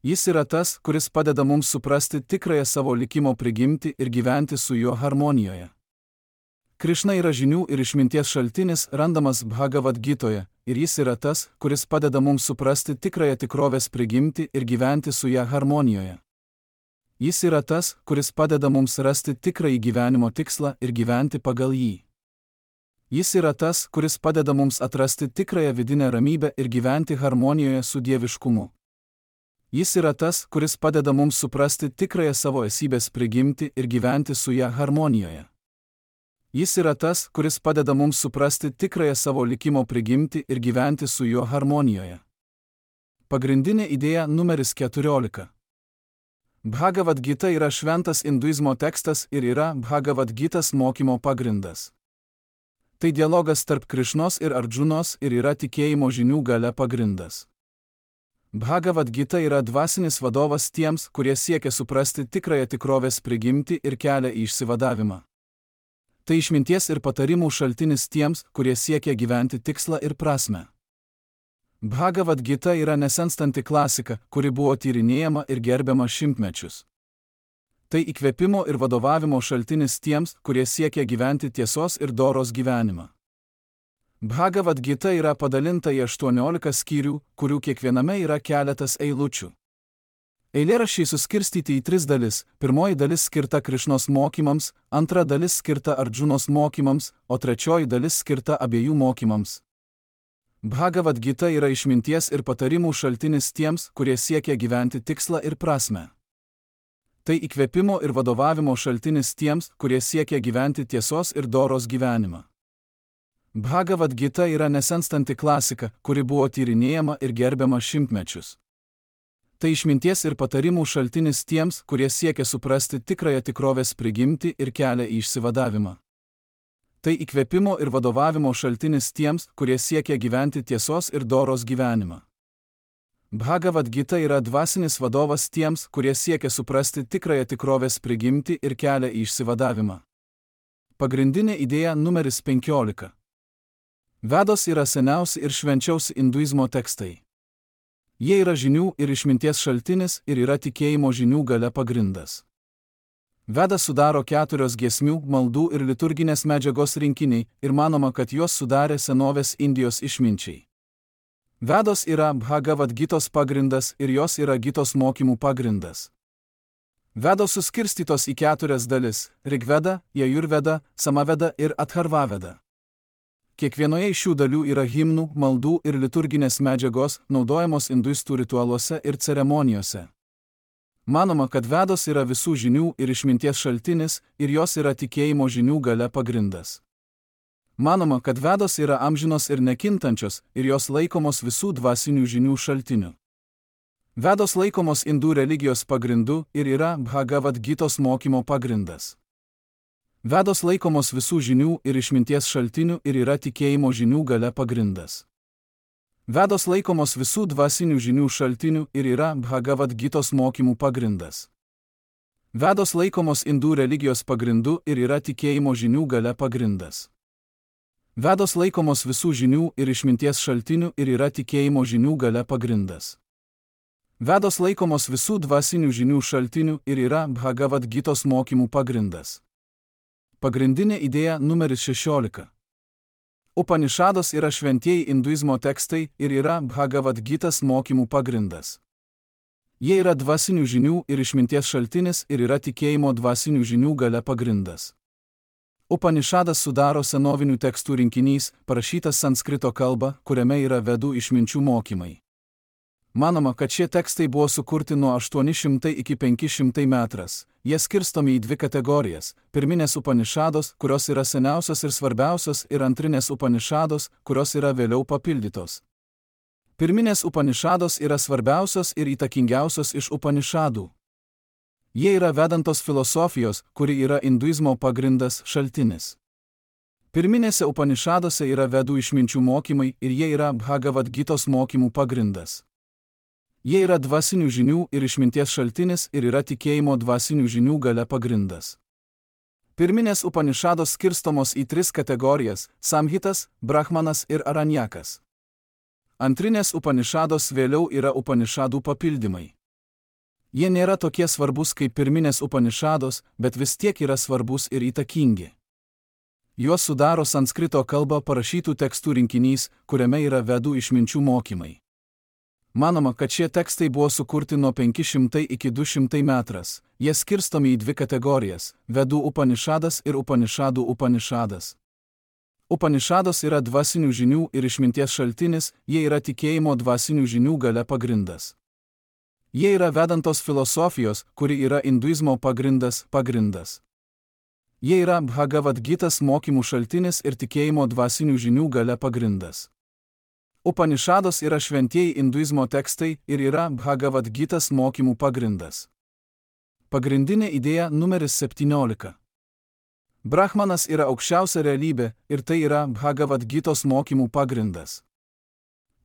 Jis yra tas, kuris padeda mums suprasti tikrąją savo likimo prigimtį ir gyventi su juo harmonijoje. Krišna yra žinių ir išminties šaltinis, randamas Bhagavad Gitoje, ir jis yra tas, kuris padeda mums suprasti tikrąją tikrovės prigimtį ir gyventi su ją harmonijoje. Jis yra tas, kuris padeda mums rasti tikrąjį gyvenimo tikslą ir gyventi pagal jį. Jis yra tas, kuris padeda mums atrasti tikrąją vidinę ramybę ir gyventi harmonijoje su dieviškumu. Jis yra tas, kuris padeda mums suprasti tikrąją savo esybės prigimtį ir gyventi su ją harmonijoje. Jis yra tas, kuris padeda mums suprasti tikrąją savo likimo prigimtį ir gyventi su juo harmonijoje. Pagrindinė idėja numeris keturiolika. Bhagavad Gita yra šventas hinduizmo tekstas ir yra Bhagavad Gitas mokymo pagrindas. Tai dialogas tarp Krišnos ir Ardžunos ir yra tikėjimo žinių galia pagrindas. Bhagavad Gita yra dvasinis vadovas tiems, kurie siekia suprasti tikrąją tikrovės prigimtį ir kelią į išsivadavimą. Tai išminties ir patarimų šaltinis tiems, kurie siekia gyventi tikslą ir prasmę. Bhagavad Gita yra nesenstanti klasika, kuri buvo tyrinėjama ir gerbiama šimtmečius. Tai įkvėpimo ir vadovavimo šaltinis tiems, kurie siekia gyventi tiesos ir doros gyvenimą. Bhagavad Gita yra padalinta į aštuoniolika skyrių, kurių kiekviename yra keletas eilučių. Eilėraščiai suskirstyti į tris dalis, pirmoji dalis skirta Krišnos mokymams, antra dalis skirta Ardžunos mokymams, o trečioji dalis skirta abiejų mokymams. Bhagavad Gita yra išminties ir patarimų šaltinis tiems, kurie siekia gyventi tikslą ir prasmę. Tai įkvėpimo ir vadovavimo šaltinis tiems, kurie siekia gyventi tiesos ir doros gyvenimą. Bhagavad Gita yra nesenstanti klasika, kuri buvo tyrinėjama ir gerbiama šimtmečius. Tai išminties ir patarimų šaltinis tiems, kurie siekia suprasti tikrąją tikrovės prigimtį ir kelią į išsivadavimą. Tai įkvėpimo ir vadovavimo šaltinis tiems, kurie siekia gyventi tiesos ir doros gyvenimą. Bhagavad Gita yra dvasinis vadovas tiems, kurie siekia suprasti tikrąją tikrovės prigimtį ir kelią į išsivadavimą. Pagrindinė idėja numeris penkiolika. Vedos yra seniausi ir švenčiausi hinduizmo tekstai. Jie yra žinių ir išminties šaltinis ir yra tikėjimo žinių galia pagrindas. Vedas sudaro keturios giesmių, maldų ir liturginės medžiagos rinkiniai ir manoma, kad juos sudarė senovės Indijos išminčiai. Vedos yra Bhagavad Gitos pagrindas ir jos yra Gitos mokymų pagrindas. Vedos suskirstytos į keturias dalis – Rigveda, Jajurveda, Samaveda ir Atharvaveda. Kiekvienoje iš šių dalių yra himnų, maldų ir liturginės medžiagos, naudojamos hinduistų ritualuose ir ceremonijose. Manoma, kad Vedos yra visų žinių ir išminties šaltinis ir jos yra tikėjimo žinių galia pagrindas. Manoma, kad Vedos yra amžinos ir nekintančios ir jos laikomos visų dvasinių žinių šaltiniu. Vedos laikomos hindų religijos pagrindu ir yra Bhagavad Gitos mokymo pagrindas. Vedos laikomos visų žinių ir išminties šaltinių ir yra tikėjimo žinių galia pagrindas. Vedos laikomos visų dvasinių žinių šaltinių ir yra Bhagavad Gitos mokymų pagrindas. Vedos laikomos hindų religijos pagrindu ir yra tikėjimo žinių galia pagrindas. Vedos laikomos visų žinių ir išminties šaltinių ir yra tikėjimo žinių galia pagrindas. Vedos laikomos visų dvasinių žinių šaltinių ir yra Bhagavad Gitos mokymų pagrindas. Pagrindinė idėja numeris šešiolika. Upanišados yra šventieji hinduizmo tekstai ir yra Bhagavad Gitas mokymų pagrindas. Jie yra dvasinių žinių ir išminties šaltinis ir yra tikėjimo dvasinių žinių gale pagrindas. Upanišadas sudaro senovinių tekstų rinkinys, parašytas sanskrito kalba, kuriame yra vedų išminčių mokymai. Manoma, kad šie tekstai buvo sukurti nuo aštuoni šimtai iki penki šimtai metras. Jie skirstomi į dvi kategorijas – pirminės upanišados, kurios yra seniausios ir svarbiausios, ir antrinės upanišados, kurios yra vėliau papildytos. Pirminės upanišados yra svarbiausios ir įtakingiausios iš upanišadų. Jie yra vedantos filosofijos, kuri yra hinduizmo pagrindas, šaltinis. Pirminėse upanišadose yra vedų išminčių mokymai ir jie yra Bhagavad Gitos mokymų pagrindas. Jie yra dvasinių žinių ir išminties šaltinis ir yra tikėjimo dvasinių žinių gale pagrindas. Pirminės upanišados skirstomos į tris kategorijas – Samhitas, Brahmanas ir Aranyakas. Antrinės upanišados vėliau yra upanišadų papildymai. Jie nėra tokie svarbus kaip pirminės upanišados, bet vis tiek yra svarbus ir įtakingi. Juos sudaro sanskrito kalba parašytų tekstų rinkinys, kuriame yra vedų išminčių mokymai. Manoma, kad šie tekstai buvo sukurti nuo penki šimtai iki du šimtai metras. Jie skirstomi į dvi kategorijas – vedų upanišadas ir upanišadų upanišadas. Upanišados yra dvasinių žinių ir išminties šaltinis, jie yra tikėjimo dvasinių žinių gale pagrindas. Jie yra vedantos filosofijos, kuri yra hinduizmo pagrindas, pagrindas. Jie yra Bhagavad Gitas mokymų šaltinis ir tikėjimo dvasinių žinių gale pagrindas. Upanišados yra šventieji hinduizmo tekstai ir yra Bhagavad Gitas mokymų pagrindas. Pagrindinė idėja numeris septyniolika. Brahmanas yra aukščiausia realybė ir tai yra Bhagavad Gitos mokymų pagrindas.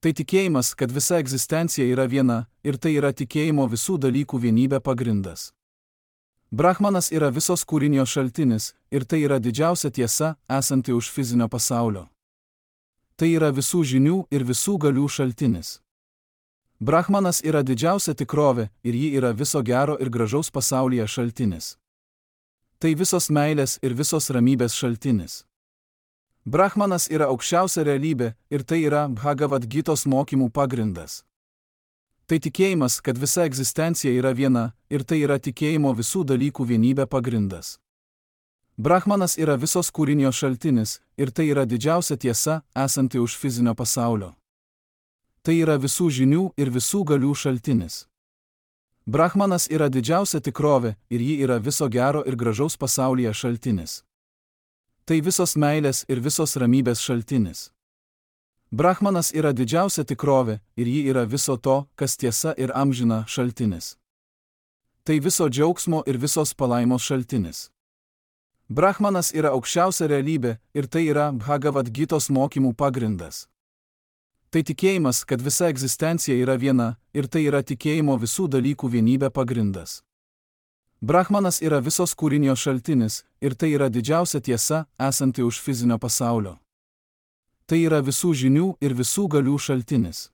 Tai tikėjimas, kad visa egzistencija yra viena ir tai yra tikėjimo visų dalykų vienybė pagrindas. Brahmanas yra visos kūrinijos šaltinis ir tai yra didžiausia tiesa, esanti už fizinio pasaulio. Tai yra visų žinių ir visų galių šaltinis. Brahmanas yra didžiausia tikrovė ir ji yra viso gero ir gražaus pasaulyje šaltinis. Tai visos meilės ir visos ramybės šaltinis. Brahmanas yra aukščiausia realybė ir tai yra Bhagavad Gitos mokymų pagrindas. Tai tikėjimas, kad visa egzistencija yra viena ir tai yra tikėjimo visų dalykų vienybė pagrindas. Brahmanas yra visos kūrinijos šaltinis ir tai yra didžiausia tiesa, esanti už fizinio pasaulio. Tai yra visų žinių ir visų galių šaltinis. Brahmanas yra didžiausia tikrovė ir ji yra viso gero ir gražaus pasaulyje šaltinis. Tai visos meilės ir visos ramybės šaltinis. Brahmanas yra didžiausia tikrovė ir ji yra viso to, kas tiesa ir amžina šaltinis. Tai viso džiaugsmo ir visos palaimos šaltinis. Brahmanas yra aukščiausia realybė ir tai yra Bhagavad Gitos mokymų pagrindas. Tai tikėjimas, kad visa egzistencija yra viena ir tai yra tikėjimo visų dalykų vienybė pagrindas. Brahmanas yra visos kūrinijos šaltinis ir tai yra didžiausia tiesa, esanti už fizinio pasaulio. Tai yra visų žinių ir visų galių šaltinis.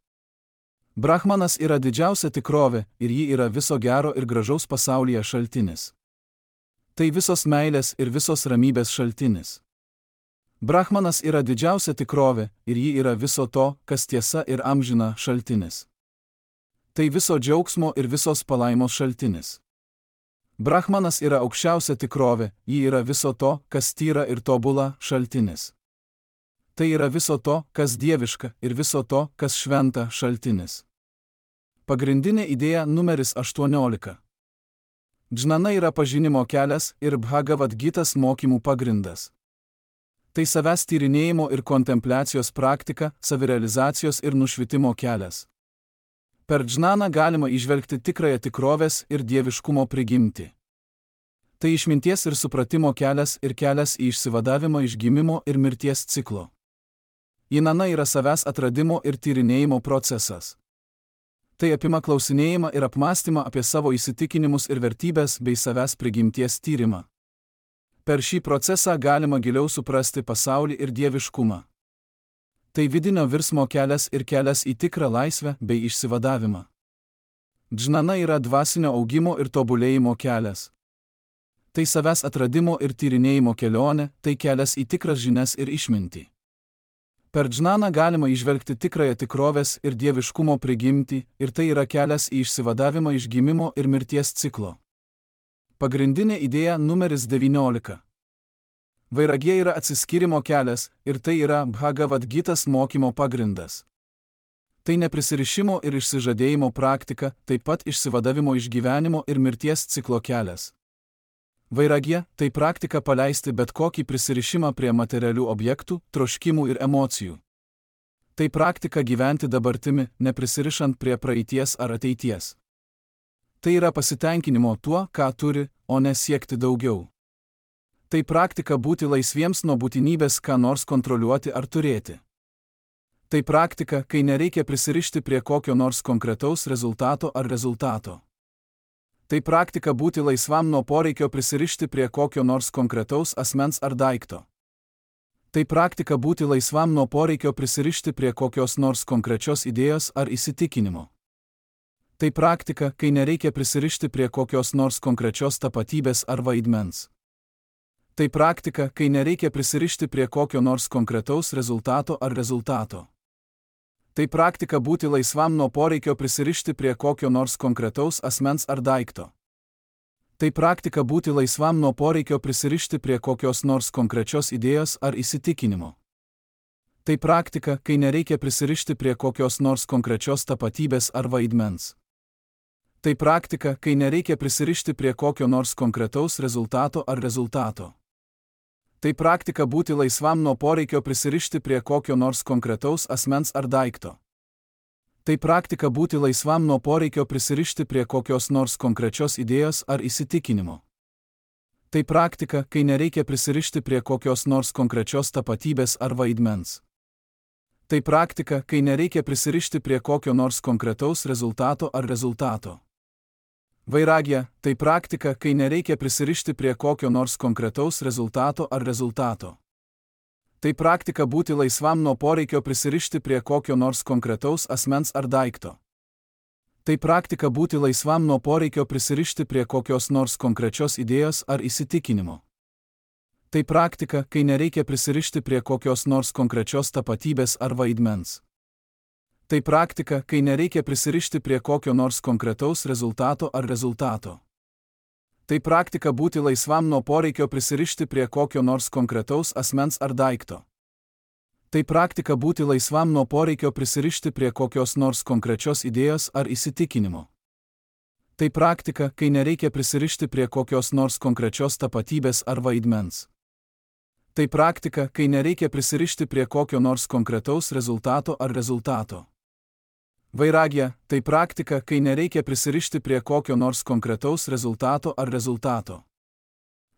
Brahmanas yra didžiausia tikrovė ir ji yra viso gero ir gražaus pasaulyje šaltinis. Tai visos meilės ir visos ramybės šaltinis. Brahmanas yra didžiausia tikrovė ir ji yra viso to, kas tiesa ir amžina šaltinis. Tai viso džiaugsmo ir visos palaimos šaltinis. Brahmanas yra aukščiausia tikrovė, ji yra viso to, kas tyra ir tobula šaltinis. Tai yra viso to, kas dieviška ir viso to, kas šventa šaltinis. Pagrindinė idėja numeris aštuoniolika. Džnana yra pažinimo kelias ir Bhagavad Gitas mokymų pagrindas. Tai savęs tyrinėjimo ir kontempliacijos praktika, savirealizacijos ir nušvitimo kelias. Per džnaną galima įžvelgti tikrąją tikrovės ir dieviškumo prigimtį. Tai išminties ir supratimo kelias ir kelias į išsivadavimą iš gimimo ir mirties ciklo. Džnana yra savęs atradimo ir tyrinėjimo procesas. Tai apima klausinėjimą ir apmąstymą apie savo įsitikinimus ir vertybės bei savęs prigimties tyrimą. Per šį procesą galima giliau suprasti pasaulį ir dieviškumą. Tai vidinio virsmo kelias ir kelias į tikrą laisvę bei išsivadavimą. Džnana yra dvasinio augimo ir tobulėjimo kelias. Tai savęs atradimo ir tyrinėjimo kelionė, tai kelias į tikras žinias ir išmintį. Per džnaną galima įžvelgti tikrąją tikrovės ir dieviškumo prigimtį, ir tai yra kelias į išsivadavimą iš gimimo ir mirties ciklo. Pagrindinė idėja numeris devyniolika. Vairagija yra atsiskyrimo kelias, ir tai yra Bhagavad Gitas mokymo pagrindas. Tai neprisirišimo ir išsižadėjimo praktika, taip pat išsivadavimo iš gyvenimo ir mirties ciklo kelias. Vairagija – tai praktika paleisti bet kokį prisirišimą prie materialių objektų, troškimų ir emocijų. Tai praktika gyventi dabartimi, neprisirišant prie praeities ar ateities. Tai yra pasitenkinimo tuo, ką turi, o ne siekti daugiau. Tai praktika būti laisviems nuo būtinybės ką nors kontroliuoti ar turėti. Tai praktika, kai nereikia prisirišti prie kokio nors konkretaus rezultato ar rezultato. Tai praktika būti laisvam nuo poreikio prisirišti prie kokio nors konkretaus asmens ar daikto. Tai praktika būti laisvam nuo poreikio prisirišti prie kokios nors konkrečios idėjos ar įsitikinimo. Tai praktika, kai nereikia prisirišti prie kokios nors konkrečios tapatybės ar vaidmens. Tai praktika, kai nereikia prisirišti prie kokio nors konkretaus rezultato ar rezultato. Tai praktika būti laisvam nuo poreikio prisirišti prie kokio nors konkretaus asmens ar daikto. Tai praktika būti laisvam nuo poreikio prisirišti prie kokios nors konkrečios idėjos ar įsitikinimo. Tai praktika, kai nereikia prisirišti prie kokios nors konkrečios tapatybės ar vaidmens. Tai praktika, kai nereikia prisirišti prie kokio nors konkretaus rezultato ar rezultato. Tai praktika būti laisvam nuo poreikio prisirišti prie kokio nors konkretaus asmens ar daikto. Tai praktika būti laisvam nuo poreikio prisirišti prie kokios nors konkrečios idėjos ar įsitikinimo. Tai praktika, kai nereikia prisirišti prie kokios nors konkrečios tapatybės ar vaidmens. Tai praktika, kai nereikia prisirišti prie kokio nors konkretaus rezultato ar rezultato. Vairagija – tai praktika, kai nereikia prisirišti prie kokio nors konkretaus rezultato ar rezultato. Tai praktika būti laisvam nuo poreikio prisirišti prie kokio nors konkretaus asmens ar daikto. Tai praktika būti laisvam nuo poreikio prisirišti prie kokios nors konkrečios idėjos ar įsitikinimo. Tai praktika, kai nereikia prisirišti prie kokios nors konkrečios tapatybės ar vaidmens. Tai praktika, kai nereikia prisirišti prie kokio nors konkretaus rezultato ar rezultato. Tai praktika būti laisvam nuo poreikio prisirišti prie kokio nors konkretaus asmens ar daikto. Tai praktika būti laisvam nuo poreikio prisirišti prie kokios nors konkrečios idėjos ar įsitikinimo. Tai praktika, kai nereikia prisirišti prie kokios nors konkrečios tapatybės ar vaidmens. Tai praktika, kai nereikia prisirišti prie kokio nors konkretaus rezultato ar rezultato. Vairagija – tai praktika, kai nereikia prisirišti prie kokio nors konkretaus rezultato ar rezultato.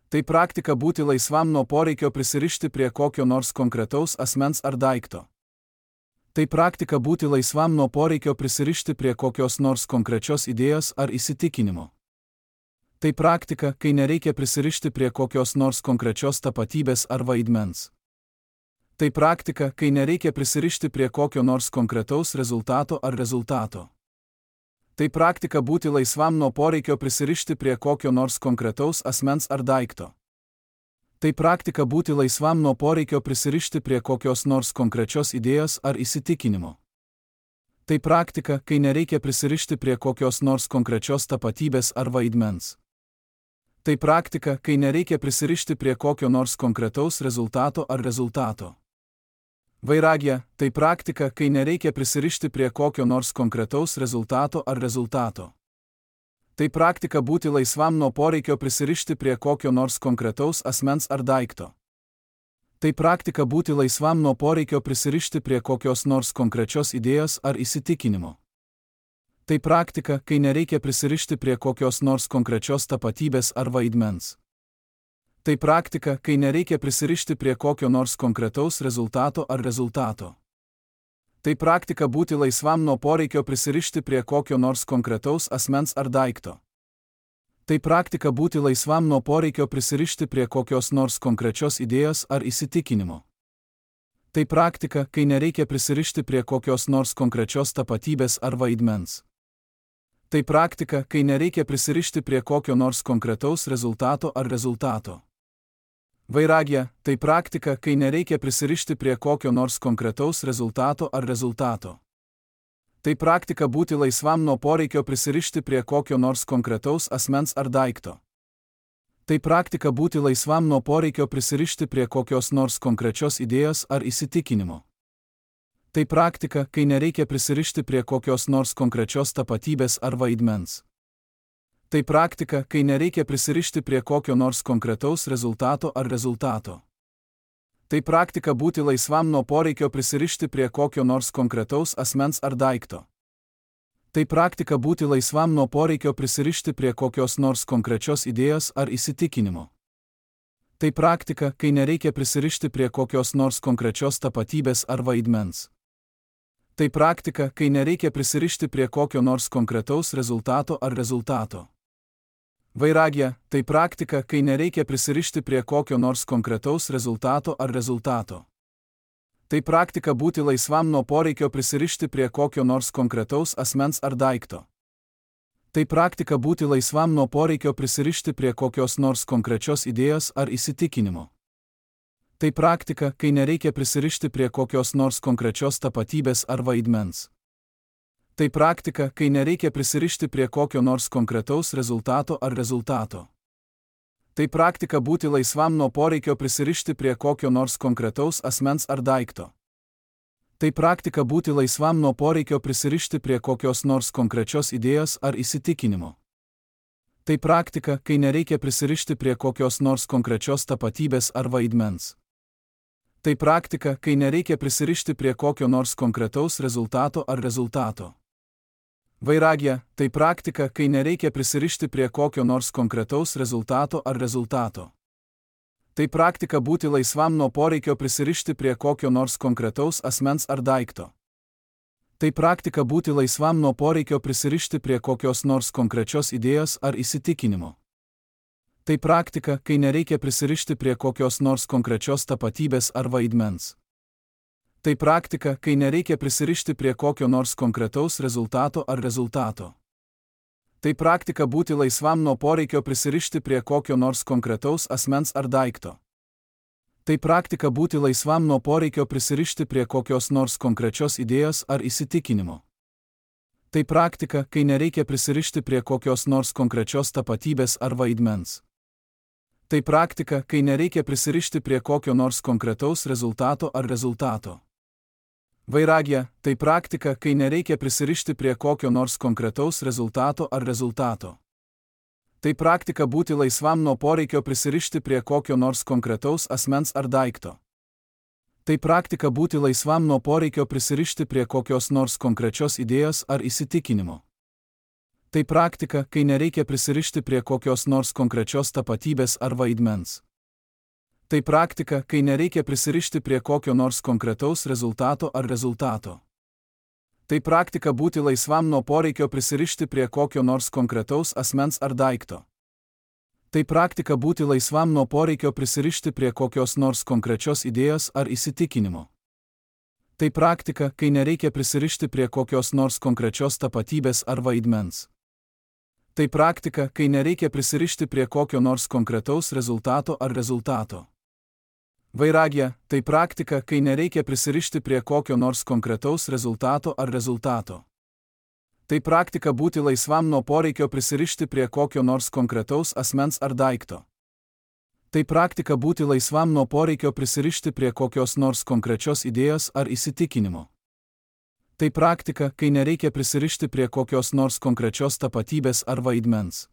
Tai praktika būti laisvam nuo poreikio prisirišti prie kokio nors konkretaus asmens ar daikto. Tai praktika būti laisvam nuo poreikio prisirišti prie kokios nors konkrečios idėjos ar įsitikinimo. Tai praktika, kai nereikia prisirišti prie kokios nors konkrečios tapatybės ar vaidmens. Tai praktika, kai nereikia prisirišti prie kokio nors konkretaus rezultato ar rezultato. Tai praktika būti laisvam nuo poreikio prisirišti prie kokio nors konkretaus asmens ar daikto. Tai praktika būti laisvam nuo poreikio prisirišti prie kokios nors konkrečios idėjos ar įsitikinimo. Tai praktika, kai nereikia prisirišti prie kokios nors konkrečios tapatybės ar vaidmens. Tai praktika, kai nereikia prisirišti prie kokio nors konkretaus rezultato ar rezultato. Vairagija – tai praktika, kai nereikia prisirišti prie kokio nors konkretaus rezultato ar rezultato. Tai praktika būti laisvam nuo poreikio prisirišti prie kokio nors konkretaus asmens ar daikto. Tai praktika būti laisvam nuo poreikio prisirišti prie kokios nors konkrečios idėjos ar įsitikinimo. Tai praktika, kai nereikia prisirišti prie kokios nors konkrečios tapatybės ar vaidmens. Tai praktika, kai nereikia prisirišti prie kokio nors konkretaus rezultato ar rezultato. Tai praktika būti laisvam nuo poreikio prisirišti prie kokio nors konkretaus asmens ar daikto. Tai praktika būti laisvam nuo poreikio prisirišti prie kokios nors konkrečios idėjos ar įsitikinimo. Tai praktika, kai nereikia prisirišti prie kokios nors konkrečios tapatybės ar vaidmens. Tai praktika, kai nereikia prisirišti prie kokio nors konkretaus rezultato ar rezultato. Vairagija – tai praktika, kai nereikia prisirišti prie kokio nors konkretaus rezultato ar rezultato. Tai praktika būti laisvam nuo poreikio prisirišti prie kokio nors konkretaus asmens ar daikto. Tai praktika būti laisvam nuo poreikio prisirišti prie kokios nors konkrečios idėjos ar įsitikinimo. Tai praktika, kai nereikia prisirišti prie kokios nors konkrečios tapatybės ar vaidmens. Tai praktika, kai nereikia prisirišti prie kokio nors konkretaus rezultato ar rezultato. Tai praktika būti laisvam nuo poreikio prisirišti prie kokio nors konkretaus asmens ar daikto. Tai praktika būti laisvam nuo poreikio prisirišti prie kokios nors konkrečios idėjos ar įsitikinimo. Tai praktika, kai nereikia prisirišti prie kokios nors konkrečios tapatybės ar vaidmens. Tai praktika, kai nereikia prisirišti prie kokio nors konkretaus rezultato ar rezultato. Vairagija – tai praktika, kai nereikia prisirišti prie kokio nors konkretaus rezultato ar rezultato. Tai praktika būti laisvam nuo poreikio prisirišti prie kokio nors konkretaus asmens ar daikto. Tai praktika būti laisvam nuo poreikio prisirišti prie kokios nors konkrečios idėjos ar įsitikinimo. Tai praktika, kai nereikia prisirišti prie kokios nors konkrečios tapatybės ar vaidmens. Tai praktika, kai nereikia prisirišti prie kokio nors konkretaus rezultato ar rezultato. Tai praktika būti laisvam nuo poreikio prisirišti prie kokio nors konkretaus asmens ar daikto. Tai praktika būti laisvam nuo poreikio prisirišti prie kokios nors konkrečios idėjos ar įsitikinimo. Tai praktika, kai nereikia prisirišti prie kokios nors konkrečios tapatybės ar vaidmens. Tai praktika, kai nereikia prisirišti prie kokio nors konkretaus rezultato ar rezultato. Vairagija – tai praktika, kai nereikia prisirišti prie kokio nors konkretaus rezultato ar rezultato. Tai praktika būti laisvam nuo poreikio prisirišti prie kokio nors konkretaus asmens ar daikto. Tai praktika būti laisvam nuo poreikio prisirišti prie kokios nors konkrečios idėjos ar įsitikinimo. Tai praktika, kai nereikia prisirišti prie kokios nors konkrečios tapatybės ar vaidmens. Tai praktika, kai nereikia prisirišti prie kokio nors konkretaus rezultato ar rezultato. Tai praktika būti laisvam nuo poreikio prisirišti prie kokio nors konkretaus asmens ar daikto. Tai praktika būti laisvam nuo poreikio prisirišti prie kokios nors konkrečios idėjos ar įsitikinimo. Tai praktika, kai nereikia prisirišti prie kokios nors konkrečios tapatybės ar vaidmens. Tai praktika, kai nereikia prisirišti prie kokio nors konkretaus rezultato ar rezultato. Vairagija – tai praktika, kai nereikia prisirišti prie kokio nors konkretaus rezultato ar rezultato. Tai praktika būti laisvam nuo poreikio prisirišti prie kokio nors konkretaus asmens ar daikto. Tai praktika būti laisvam nuo poreikio prisirišti prie kokios nors konkrečios idėjos ar įsitikinimo. Tai praktika, kai nereikia prisirišti prie kokios nors konkrečios tapatybės ar vaidmens. Tai praktika, kai nereikia prisirišti prie kokio nors konkretaus rezultato ar rezultato. Tai praktika būti laisvam nuo poreikio prisirišti prie kokio nors konkretaus asmens ar daikto. Tai praktika būti laisvam nuo poreikio prisirišti prie kokios nors konkrečios idėjos ar įsitikinimo. Tai praktika, kai nereikia prisirišti prie kokios nors konkrečios tapatybės ar vaidmens. Tai praktika, kai nereikia prisirišti prie kokio nors konkretaus rezultato ar rezultato. Vairagija – tai praktika, kai nereikia prisirišti prie kokio nors konkretaus rezultato ar rezultato. Tai praktika būti laisvam nuo poreikio prisirišti prie kokio nors konkretaus asmens ar daikto. Tai praktika būti laisvam nuo poreikio prisirišti prie kokios nors konkrečios idėjos ar įsitikinimo. Tai praktika, kai nereikia prisirišti prie kokios nors konkrečios tapatybės ar vaidmens.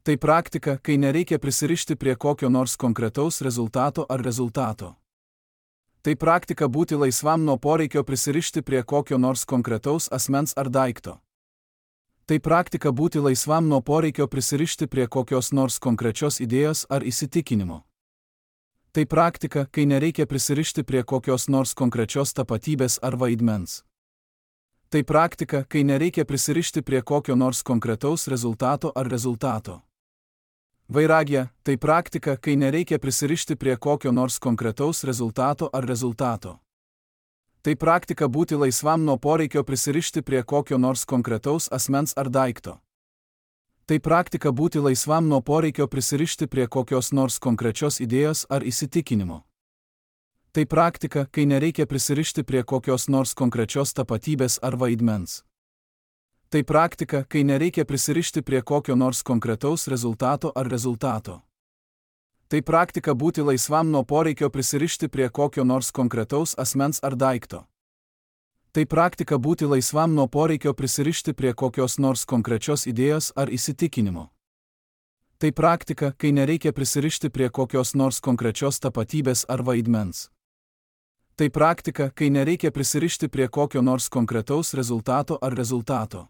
Tai praktika, kai nereikia prisirišti prie kokio nors konkretaus rezultato ar rezultato. Tai praktika būti laisvam nuo poreikio prisirišti prie kokio nors konkretaus asmens ar daikto. Tai praktika būti laisvam nuo poreikio prisirišti prie kokios nors konkrečios idėjos ar įsitikinimo. Tai praktika, kai nereikia prisirišti prie kokios nors konkrečios tapatybės ar vaidmens. Tai praktika, kai nereikia prisirišti prie kokio nors konkretaus rezultato ar rezultato. Vairagija – tai praktika, kai nereikia prisirišti prie kokio nors konkretaus rezultato ar rezultato. Tai praktika būti laisvam nuo poreikio prisirišti prie kokio nors konkretaus asmens ar daikto. Tai praktika būti laisvam nuo poreikio prisirišti prie kokios nors konkrečios idėjos ar įsitikinimo. Tai praktika, kai nereikia prisirišti prie kokios nors konkrečios tapatybės ar vaidmens. Tai praktika, kai nereikia prisirišti prie kokio nors konkretaus rezultato ar rezultato. Tai praktika būti laisvam nuo poreikio prisirišti prie kokio nors konkretaus asmens ar daikto. Tai praktika būti laisvam nuo poreikio prisirišti prie kokios nors konkrečios idėjos ar įsitikinimo. Tai praktika, kai nereikia prisirišti prie kokios nors konkrečios tapatybės ar vaidmens. Tai praktika, kai nereikia prisirišti prie kokio nors konkretaus rezultato ar rezultato.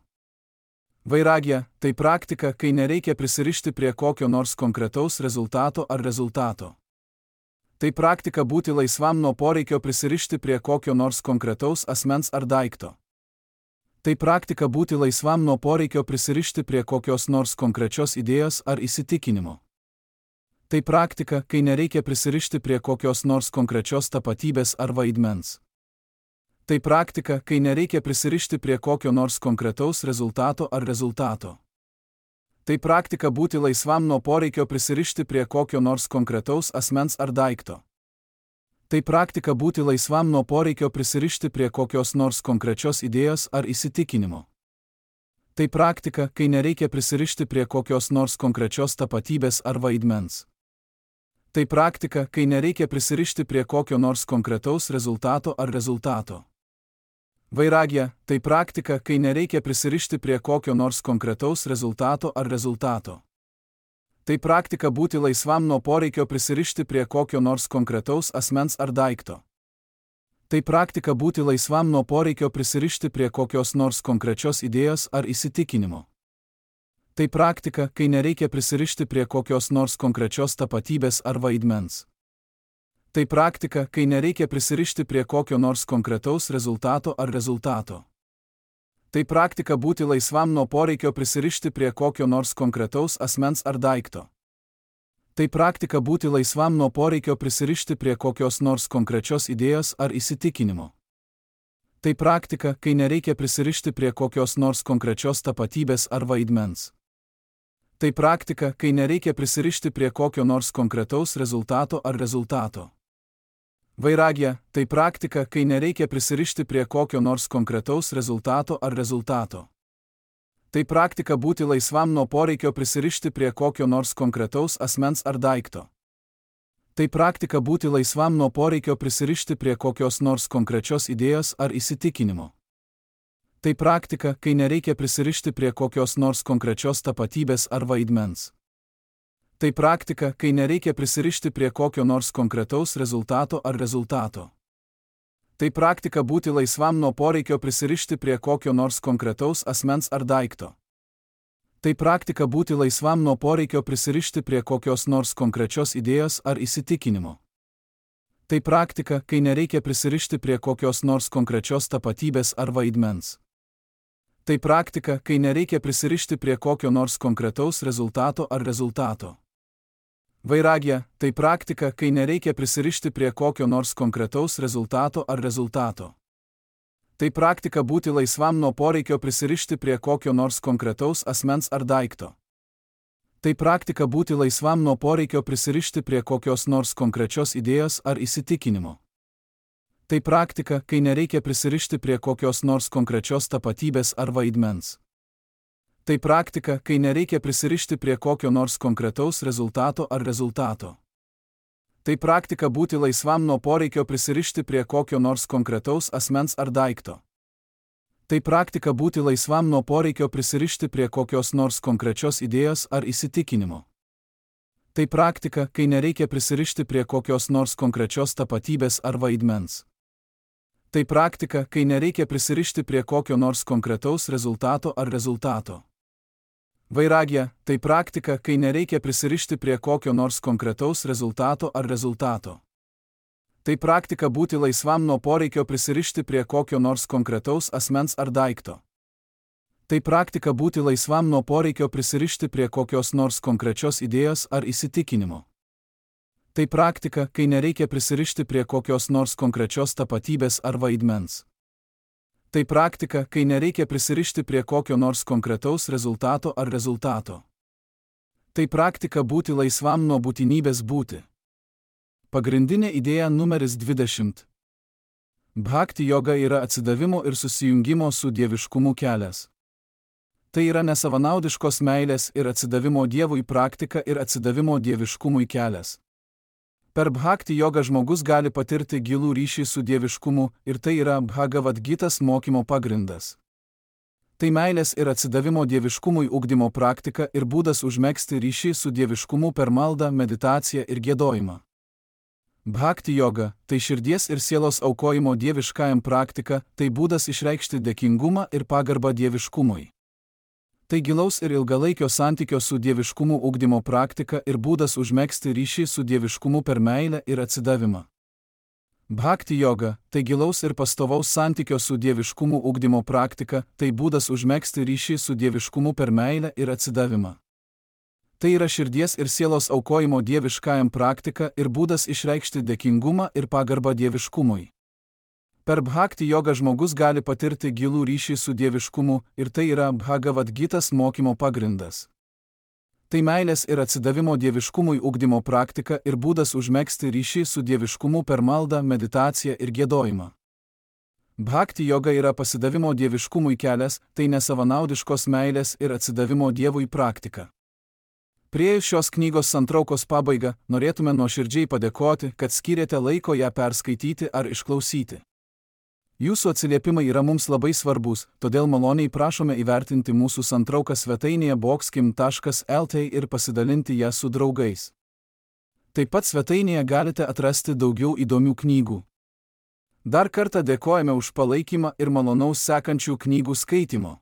Vairagija – tai praktika, kai nereikia prisirišti prie kokio nors konkretaus rezultato ar rezultato. Tai praktika būti laisvam nuo poreikio prisirišti prie kokio nors konkretaus asmens ar daikto. Tai praktika būti laisvam nuo poreikio prisirišti prie kokios nors konkrečios idėjos ar įsitikinimo. Tai praktika, kai nereikia prisirišti prie kokios nors konkrečios tapatybės ar vaidmens. Tai praktika, kai nereikia prisirišti prie kokio nors konkretaus rezultato ar rezultato. Tai praktika būti laisvam nuo poreikio prisirišti prie kokio nors konkretaus asmens ar daikto. Tai praktika būti laisvam nuo poreikio prisirišti prie kokios nors konkrečios idėjos ar įsitikinimo. Tai praktika, kai nereikia prisirišti prie kokios nors konkrečios tapatybės ar vaidmens. Tai praktika, kai nereikia prisirišti prie kokio nors konkretaus rezultato ar rezultato. Vairagija – tai praktika, kai nereikia prisirišti prie kokio nors konkretaus rezultato ar rezultato. Tai praktika būti laisvam nuo poreikio prisirišti prie kokio nors konkretaus asmens ar daikto. Tai praktika būti laisvam nuo poreikio prisirišti prie kokios nors konkrečios idėjos ar įsitikinimo. Tai praktika, kai nereikia prisirišti prie kokios nors konkrečios tapatybės ar vaidmens. Tai praktika, kai nereikia prisirišti prie kokio nors konkretaus rezultato ar rezultato. Tai praktika būti laisvam nuo poreikio prisirišti prie kokio nors konkretaus asmens ar daikto. Tai praktika būti laisvam nuo poreikio prisirišti prie kokios nors konkrečios idėjos ar įsitikinimo. Tai praktika, kai nereikia prisirišti prie kokios nors konkrečios tapatybės ar vaidmens. Tai praktika, kai nereikia prisirišti prie kokio nors konkretaus rezultato ar rezultato. Vairagija – tai praktika, kai nereikia prisirišti prie kokio nors konkretaus rezultato ar rezultato. Tai praktika būti laisvam nuo poreikio prisirišti prie kokio nors konkretaus asmens ar daikto. Tai praktika būti laisvam nuo poreikio prisirišti prie kokios nors konkrečios idėjos ar įsitikinimo. Tai praktika, kai nereikia prisirišti prie kokios nors konkrečios tapatybės ar vaidmens. Tai praktika, kai nereikia prisirišti prie kokio nors konkretaus rezultato ar rezultato. Tai praktika būti laisvam nuo poreikio prisirišti prie kokio nors konkretaus asmens ar daikto. Tai praktika būti laisvam nuo poreikio prisirišti prie kokios nors konkrečios idėjos ar įsitikinimo. Tai praktika, kai nereikia prisirišti prie kokios nors konkrečios tapatybės ar vaidmens. Tai praktika, kai nereikia prisirišti prie kokio nors konkretaus rezultato ar rezultato. Vairagija – tai praktika, kai nereikia prisirišti prie kokio nors konkretaus rezultato ar rezultato. Tai praktika būti laisvam nuo poreikio prisirišti prie kokio nors konkretaus asmens ar daikto. Tai praktika būti laisvam nuo poreikio prisirišti prie kokios nors konkrečios idėjos ar įsitikinimo. Tai praktika, kai nereikia prisirišti prie kokios nors konkrečios tapatybės ar vaidmens. Tai praktika, kai nereikia prisirišti prie kokio nors konkretaus rezultato ar rezultato. Tai praktika būti laisvam nuo poreikio prisirišti prie kokio nors konkretaus asmens ar daikto. Tai praktika būti laisvam nuo poreikio prisirišti prie kokios nors konkrečios idėjos ar įsitikinimo. Tai praktika, kai nereikia prisirišti prie kokios nors konkrečios tapatybės ar vaidmens. Tai praktika, kai nereikia prisirišti prie kokio nors konkretaus rezultato ar rezultato. Vairagija – tai praktika, kai nereikia prisirišti prie kokio nors konkretaus rezultato ar rezultato. Tai praktika būti laisvam nuo poreikio prisirišti prie kokio nors konkretaus asmens ar daikto. Tai praktika būti laisvam nuo poreikio prisirišti prie kokios nors konkrečios idėjos ar įsitikinimo. Tai praktika, kai nereikia prisirišti prie kokios nors konkrečios tapatybės ar vaidmens. Tai praktika, kai nereikia prisirišti prie kokio nors konkretaus rezultato ar rezultato. Tai praktika būti laisvam nuo būtinybės būti. Pagrindinė idėja numeris dvidešimt. Bhakti joga yra atsidavimo ir susijungimo su dieviškumu kelias. Tai yra nesavanaudiškos meilės ir atsidavimo Dievui praktika ir atsidavimo dieviškumui kelias. Per Bhakti jogą žmogus gali patirti gilų ryšį su dieviškumu ir tai yra Bhagavad Gitas mokymo pagrindas. Tai meilės ir atsidavimo dieviškumui ugdymo praktika ir būdas užmegzti ryšį su dieviškumu per maldą, meditaciją ir giedojimą. Bhakti joga – tai širdies ir sielos aukojimo dieviškajam praktika, tai būdas išreikšti dėkingumą ir pagarbą dieviškumui. Tai gilaus ir ilgalaikio santykio su dieviškumu ugdymo praktika ir būdas užmegzti ryšį su dieviškumu per meilę ir atsidavimą. Bhakti joga – tai gilaus ir pastovaus santykio su dieviškumu ugdymo praktika, tai būdas užmegzti ryšį su dieviškumu per meilę ir atsidavimą. Tai yra širdies ir sielos aukojimo dieviškajam praktika ir būdas išreikšti dėkingumą ir pagarbą dieviškumui. Per Bhakti jogą žmogus gali patirti gilų ryšį su dieviškumu ir tai yra Bhagavad Gitas mokymo pagrindas. Tai meilės ir atsidavimo dieviškumui ugdymo praktika ir būdas užmegzti ryšį su dieviškumu per maldą, meditaciją ir giedojimą. Bhakti joga yra pasidavimo dieviškumui kelias, tai nesavanaudiškos meilės ir atsidavimo Dievui praktika. Priėjus šios knygos santraukos pabaigą, norėtume nuoširdžiai padėkoti, kad skyrėte laiko ją perskaityti ar išklausyti. Jūsų atsiliepimai yra mums labai svarbus, todėl maloniai prašome įvertinti mūsų santrauką svetainėje boxkim taškas lt ir pasidalinti ją su draugais. Taip pat svetainėje galite atrasti daugiau įdomių knygų. Dar kartą dėkojame už palaikymą ir malonaus sekančių knygų skaitimo.